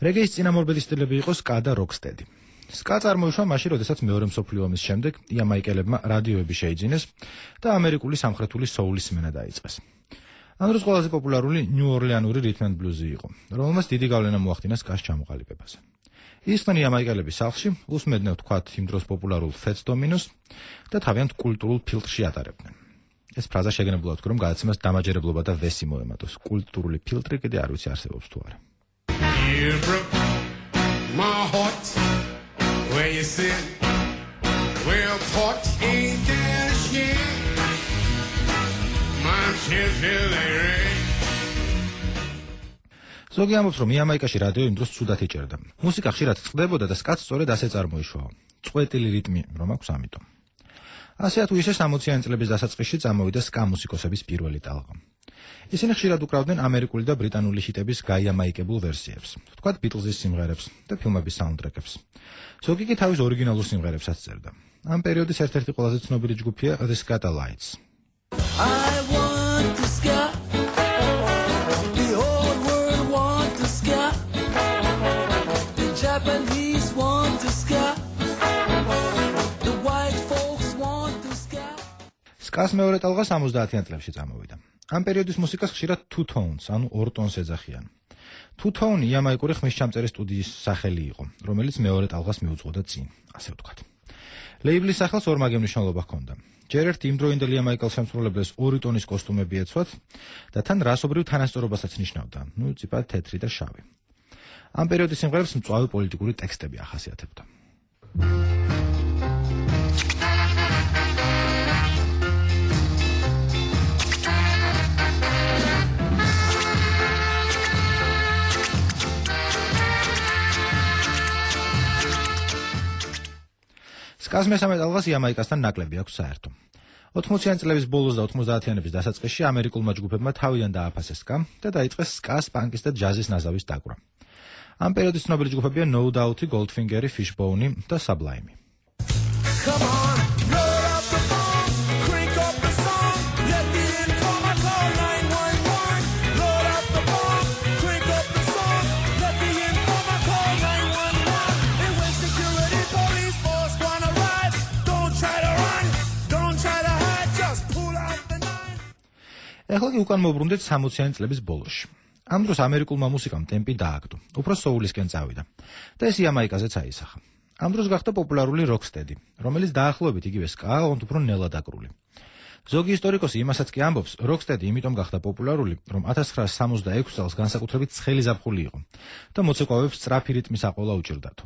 რეგეის წინამორბედი სტილები იყო სკა და როკსტედი. სკა წარმოიშვა მაშინ, როდესაც მეორე მსოფლიო ომის შემდეგ იამაიკელებმა რადიოები შეიძინეს და ამერიკული სამხრეთული სოულის სმენა დაიწყეს. ამ დროს ყველაზე პოპულარული ნიუ-ორლეანური რიტმ ენდ ბლუზი იყო, რომელმაც დიდი გავლენა მოახდინა სკას ჩამოყალიბებაზე. ისინი იამაიკელების სახლში უსმენდნენ თქვათ იმ დროს პოპულარულ ფეტს დომინოს და თავიანთ კულტურულ ფილტრში ატარებდნენ. ეს ფრაზა შეგნებულად ვთქვი, რომ გადაცემას დამაჯერებლობა და ვესი მოემატოს. კულტურული ფილტრი კიდე არ ვიცი არსებობს თუ არა. My heart, where you sit, well taught ain't there shit. My children are ზოგი ამბობს, რომ იამაიკაში რადიო იმ დროს ცუდად იჭერდა. მუსიკა ხშირად წყდებოდა და სკაც სწორედ ასე წარმოიშვა. წყვეტილი რიტმი რომ აქვს ამიტომ. ასე თუ ისე სამოციანი წლების დასაწყისში წამოვიდა სკა მუსიკოსების პირველი ტალღა. ისინი ხშირად უკრავდნენ ამერიკული და ბრიტანული ჰიტების გაიამაიკებულ ვერსიებს, თქვათ ბიტლზის სიმღერებს და ფილმების საუნდტრეკებს. ზოგი კი თავის ორიგინალურ სიმღერებსაც წერდა. ამ პერიოდის ერთ-ერთი ყველაზე ცნობილი ჯგუფია The Skatalites. I want to ska. The whole world want to ska. The Japanese want to ska. The white folks want to ska. სკას მეორე ტალღა სამოცდაათიან წლებში წამოვიდა. ამ პერიოდის მუსიკას ხშირად two tones, ანუ ორ ტონს ეძახიან. two tone იამაიკური ხმისჩამწერი სტუდიის სახელი იყო, რომელიც მეორე ტალღას მიუძღოდა წინ, ასე ვთქვათ. ლეიბლის სახელს ორმაგი მნიშვნელობა ჰქონდა. ჯერ ერთ იმდროინდელ იამაიკელ შემსრულებლებს ორი ტონის კოსტუმები ეცვათ და თან რასობრივ თანასწორობასაც ნიშნავდა, ნუ ციპა თეთრი და შავი. ამ პერიოდის სიმღერებს მწვავე პოლიტიკური ტექსტები ახასიათებდა. სკას მესამე ტალღას იამაიკასთან ნაკლები აქვს საერთო. ოთხმოციანი წლების ბოლოს და ოთხმოცდაათიანების დასაწყისში ამერიკულმა ჯგუფებმა თავიდან დააფასეს სკა და დაიწყეს სკას, პანკის და ჯაზის ნაზავის დაკვრა. ამ პერიოდის ცნობილი ჯგუფებია No Doubt, Goldfinger, Fishbone და Sublime. ეხლა კი უკან მოვბრუნდეთ სამოციანი წლების ბოლოში. ამ დროს ამერიკულმა მუსიკამ ტემპი დააგდო, უფრო სოულისკენ წავიდა და ეს იამაიკაზეც აისახა. ამ დროს გახდა პოპულარული როკსტედი, რომელიც დაახლოებით იგივე სკაა, ოღონდ უფრო ნელადაკრული. ზოგი ისტორიკოსი იმასაც კი ამბობს, როკსტედი იმიტომ გახდა პოპულარული, რომ ათას ცხრაასი სამოცდაექვსი წელს განსაკუთრებით ცხელი ზაფხული იყო და მოცეკვავებს სწრაფი რიტმის აყოლა უჭირდათო.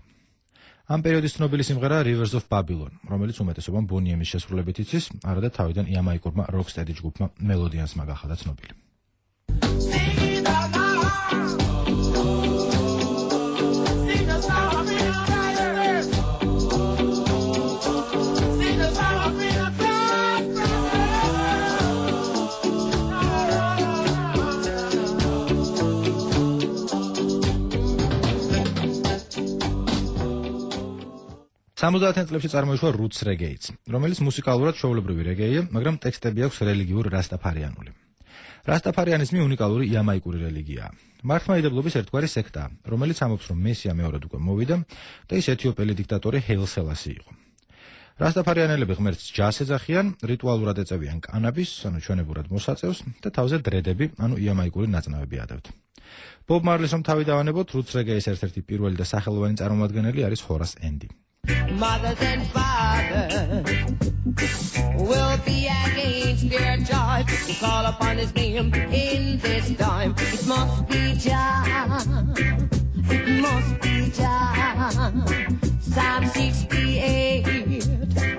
ამ პერიოდის ცნობილი სიმღერაა Rivers of Babylon, რომელიც უმეტესობამ ბონიემის შესრულებით იცის, არადა თავიდან იამაიკურმა როკსტედი ჯგუფმა მელოდიანსმა გახადა ცნობილი. სამოცდაათიან წლებში წარმოიშვა roots reggae-ც, რომელიც მუსიკალურად ჩვეულებრივი რეგეია, მაგრამ ტექსტები აქვს რელიგიურ რასტაფარიანული. რასტაფარიანიზმი უნიკალური იამაიკური რელიგიაა. მართლმადიდებლობის ერთგვარი სექტაა, რომელიც ამბობს, რომ მესია მეორედ უკვე მოვიდა და ის ეთიოპელი დიქტატორი ჰეილ სელასი იყო. რასტაფარიანელები ღმერთს ჯას ეძახიან, რიტუალურად ეწევიან კანაბის, ანუ ჩვენებურად მოსაწევს და თავზე დრედები, ანუ იამაიკური ნაწნავები ადევთ. ბობ მარლის რომ თავი დავანებოთ, roots reggae-ის ერთ-ერთი პირველი და სახელოვანი წარმომადგენელი არის ჰორას ენდი. Mothers and fathers will be against their joy to call upon his name in this time. It must be Jah, it must be Jah. Psalm sixty-eight,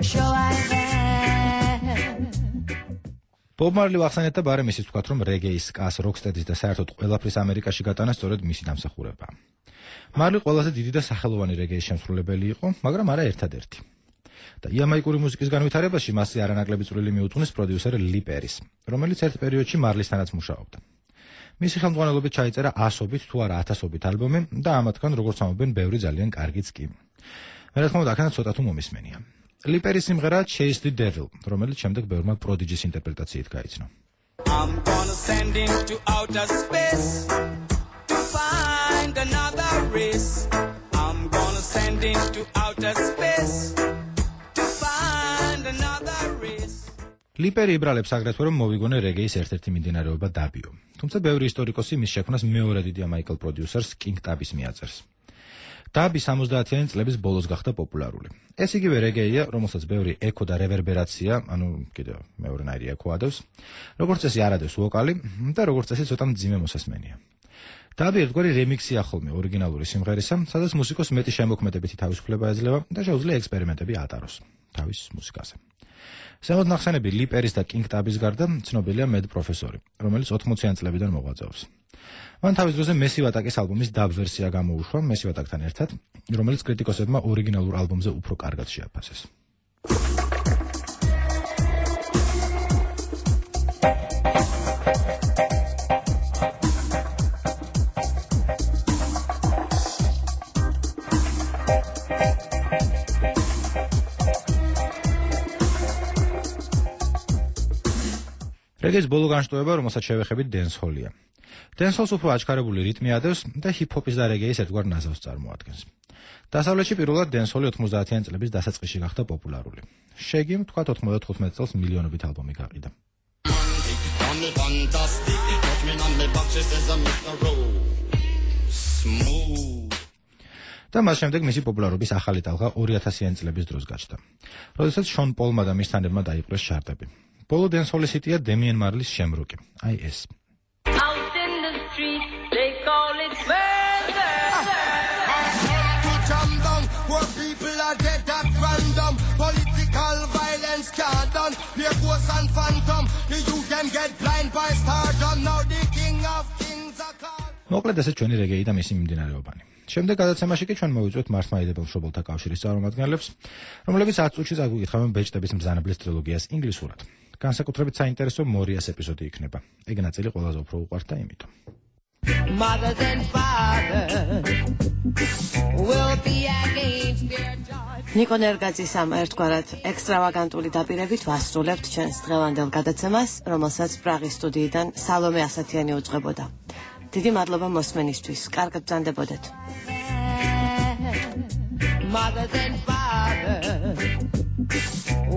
show I there. ბობ მარლი ვახსენეთ და ბარემ ისიც ვთქვათ, რომ რეგეის, სკას, როკსტედის და საერთოდ ყველაფრის ამერიკაში გატანა სწორედ მისი დამსახურებაა. მარლი ყველაზე დიდი და სახელოვანი რეგეის შემსრულებელი იყო, მაგრამ არა ერთადერთი. და იამაიკური მუსიკის განვითარებაში მასზე არანაკლები წვლილი მიუძღვნეს პროდიუსერ ლი პერის, რომელიც ერთ პერიოდში მარლისთანაც მუშაობდა. მისი ხელმძღვანელობით ჩაიწერა ასობით თუ არა ათასობით ალბომი და ამათგან, როგორც ამბობენ, ბევრი ძალიან კარგიც კი. მე რა თქმა უნდა, აქედან ცოტა თუ მომისმენია. ლი პერის სიმღერაა Chase the Devil, რომელიც შემდეგ ბევრმა პროდიჯის ინტერპრეტაციით გაიცნო. I'm gonna send him to outer space to find another race. I'm gonna send him to outer space to find another race. ლი პერი იბრალებს აგრეთვე რომ მოვიგონე რეგეის ერთ-ერთი მიმდინარეობა დაბიო. თუმცა ბევრი ისტორიკოსი მის შექმნას მეორე დიდი ამერიკელ პროდიუსერს კინგ ტაბის მიაწერს. დაბი სამოცდაათიანი წლების ბოლოს გახდა პოპულარული. ეს იგივე რეგეია, რომელსაც ბევრი ეკო და რევერბერაცია, ანუ კიდევ მეორენაირი ეკო ადევს, როგორც წესი არ ადევს ვოკალი და როგორც წესი ცოტა მძიმე მოსასმენია. დაბი ერთგვარი რემიქსია ხოლმე ორიგინალური სიმღერისა, სადაც მუსიკოს მეტი შემოქმედებითი თავისუფლება ეძლევა და შეუძლია ექსპერიმენტები ატაროს თავის მუსიკაზე. ზემოთ ნახსენები ლი პერის და კინგ ტაბის გარდა ცნობილია მედ პროფესორი, რომელიც ოთხმოციან წლებიდან მოღვაწეობს. მან თავის დროზე მესი ვატაკის ალბომის დაბ ვერსია გამოუშვა მესი ვატაკთან ერთად, რომელიც კრიტიკოსებმა ორიგინალურ ალბომზე უფრო კარგად შეაფასეს. რეგეის ბოლო განშტოება, რომელსაც შევეხებით დენსჰოლია. დენსჰოლს უფრო აჩქარებული რიტმი ადევს და ჰიპ-ჰოპის და რეგეის ერთგვარ ნაზავს წარმოადგენს. დასავლეთში პირველად დენსჰოლი ოთხმოცდაათიანი წლების დასაწყისში გახდა პოპულარული. შეგიმ თქვათ ოთხმოცდათხუთმეტ წელს მილიონობით ალბომი გაყიდა. და მას შემდეგ მისი პოპულარობის ახალი ტალღა ორი ათასიანი წლების დროს გაჩნდა, როდესაც შონ პოლმა და მის თანებმა დაიპყრეს ჩარტები. ბოლო დენსჰოლის ჰიტია დემიენ მარლის შემროკი, აი ეს. Out in the street, they call it murder. Put them down, poor people are dead at random. Political violence can't done. Here goes and phantom. The youth them get blind by stardom. Now the king of kings are called. მოკლედ ესე ჩვენი რეგეი და მისი მიმდინარეობანი. შემდეგ გადაცემაში კი ჩვენ მოვიწვევთ მართლმადიდებელ მშობელთა კავშირის წარმომადგენლებს, რომლებიც ათ წუთში წაგვიკითხავენ ბეჭდების მბრძანებლის ტრილოგიას ინგლისურად. განსაკუთრებით საინტერესო მორიას ეპიზოდი იქნება. ეგ ნაწილი ყველაზე უფრო უყვართ და იმიტომ. Mothers and fathers will be against their joy. ნიკო ნერგაძის ამ ერთგვარად ექსტრავაგანტული დაპირებით ვასრულებთ ჩვენს დღევანდელ გადაცემას, რომელსაც პრაღის სტუდიიდან სალომე ასათიანი უძღვებოდა. დიდი მადლობა მოსმენისთვის. კარგად ბრძანდებოდეთ. Mothers and fathers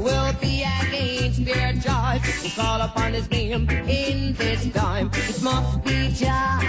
will be against their joy to call upon his name in this time. It must be Jah.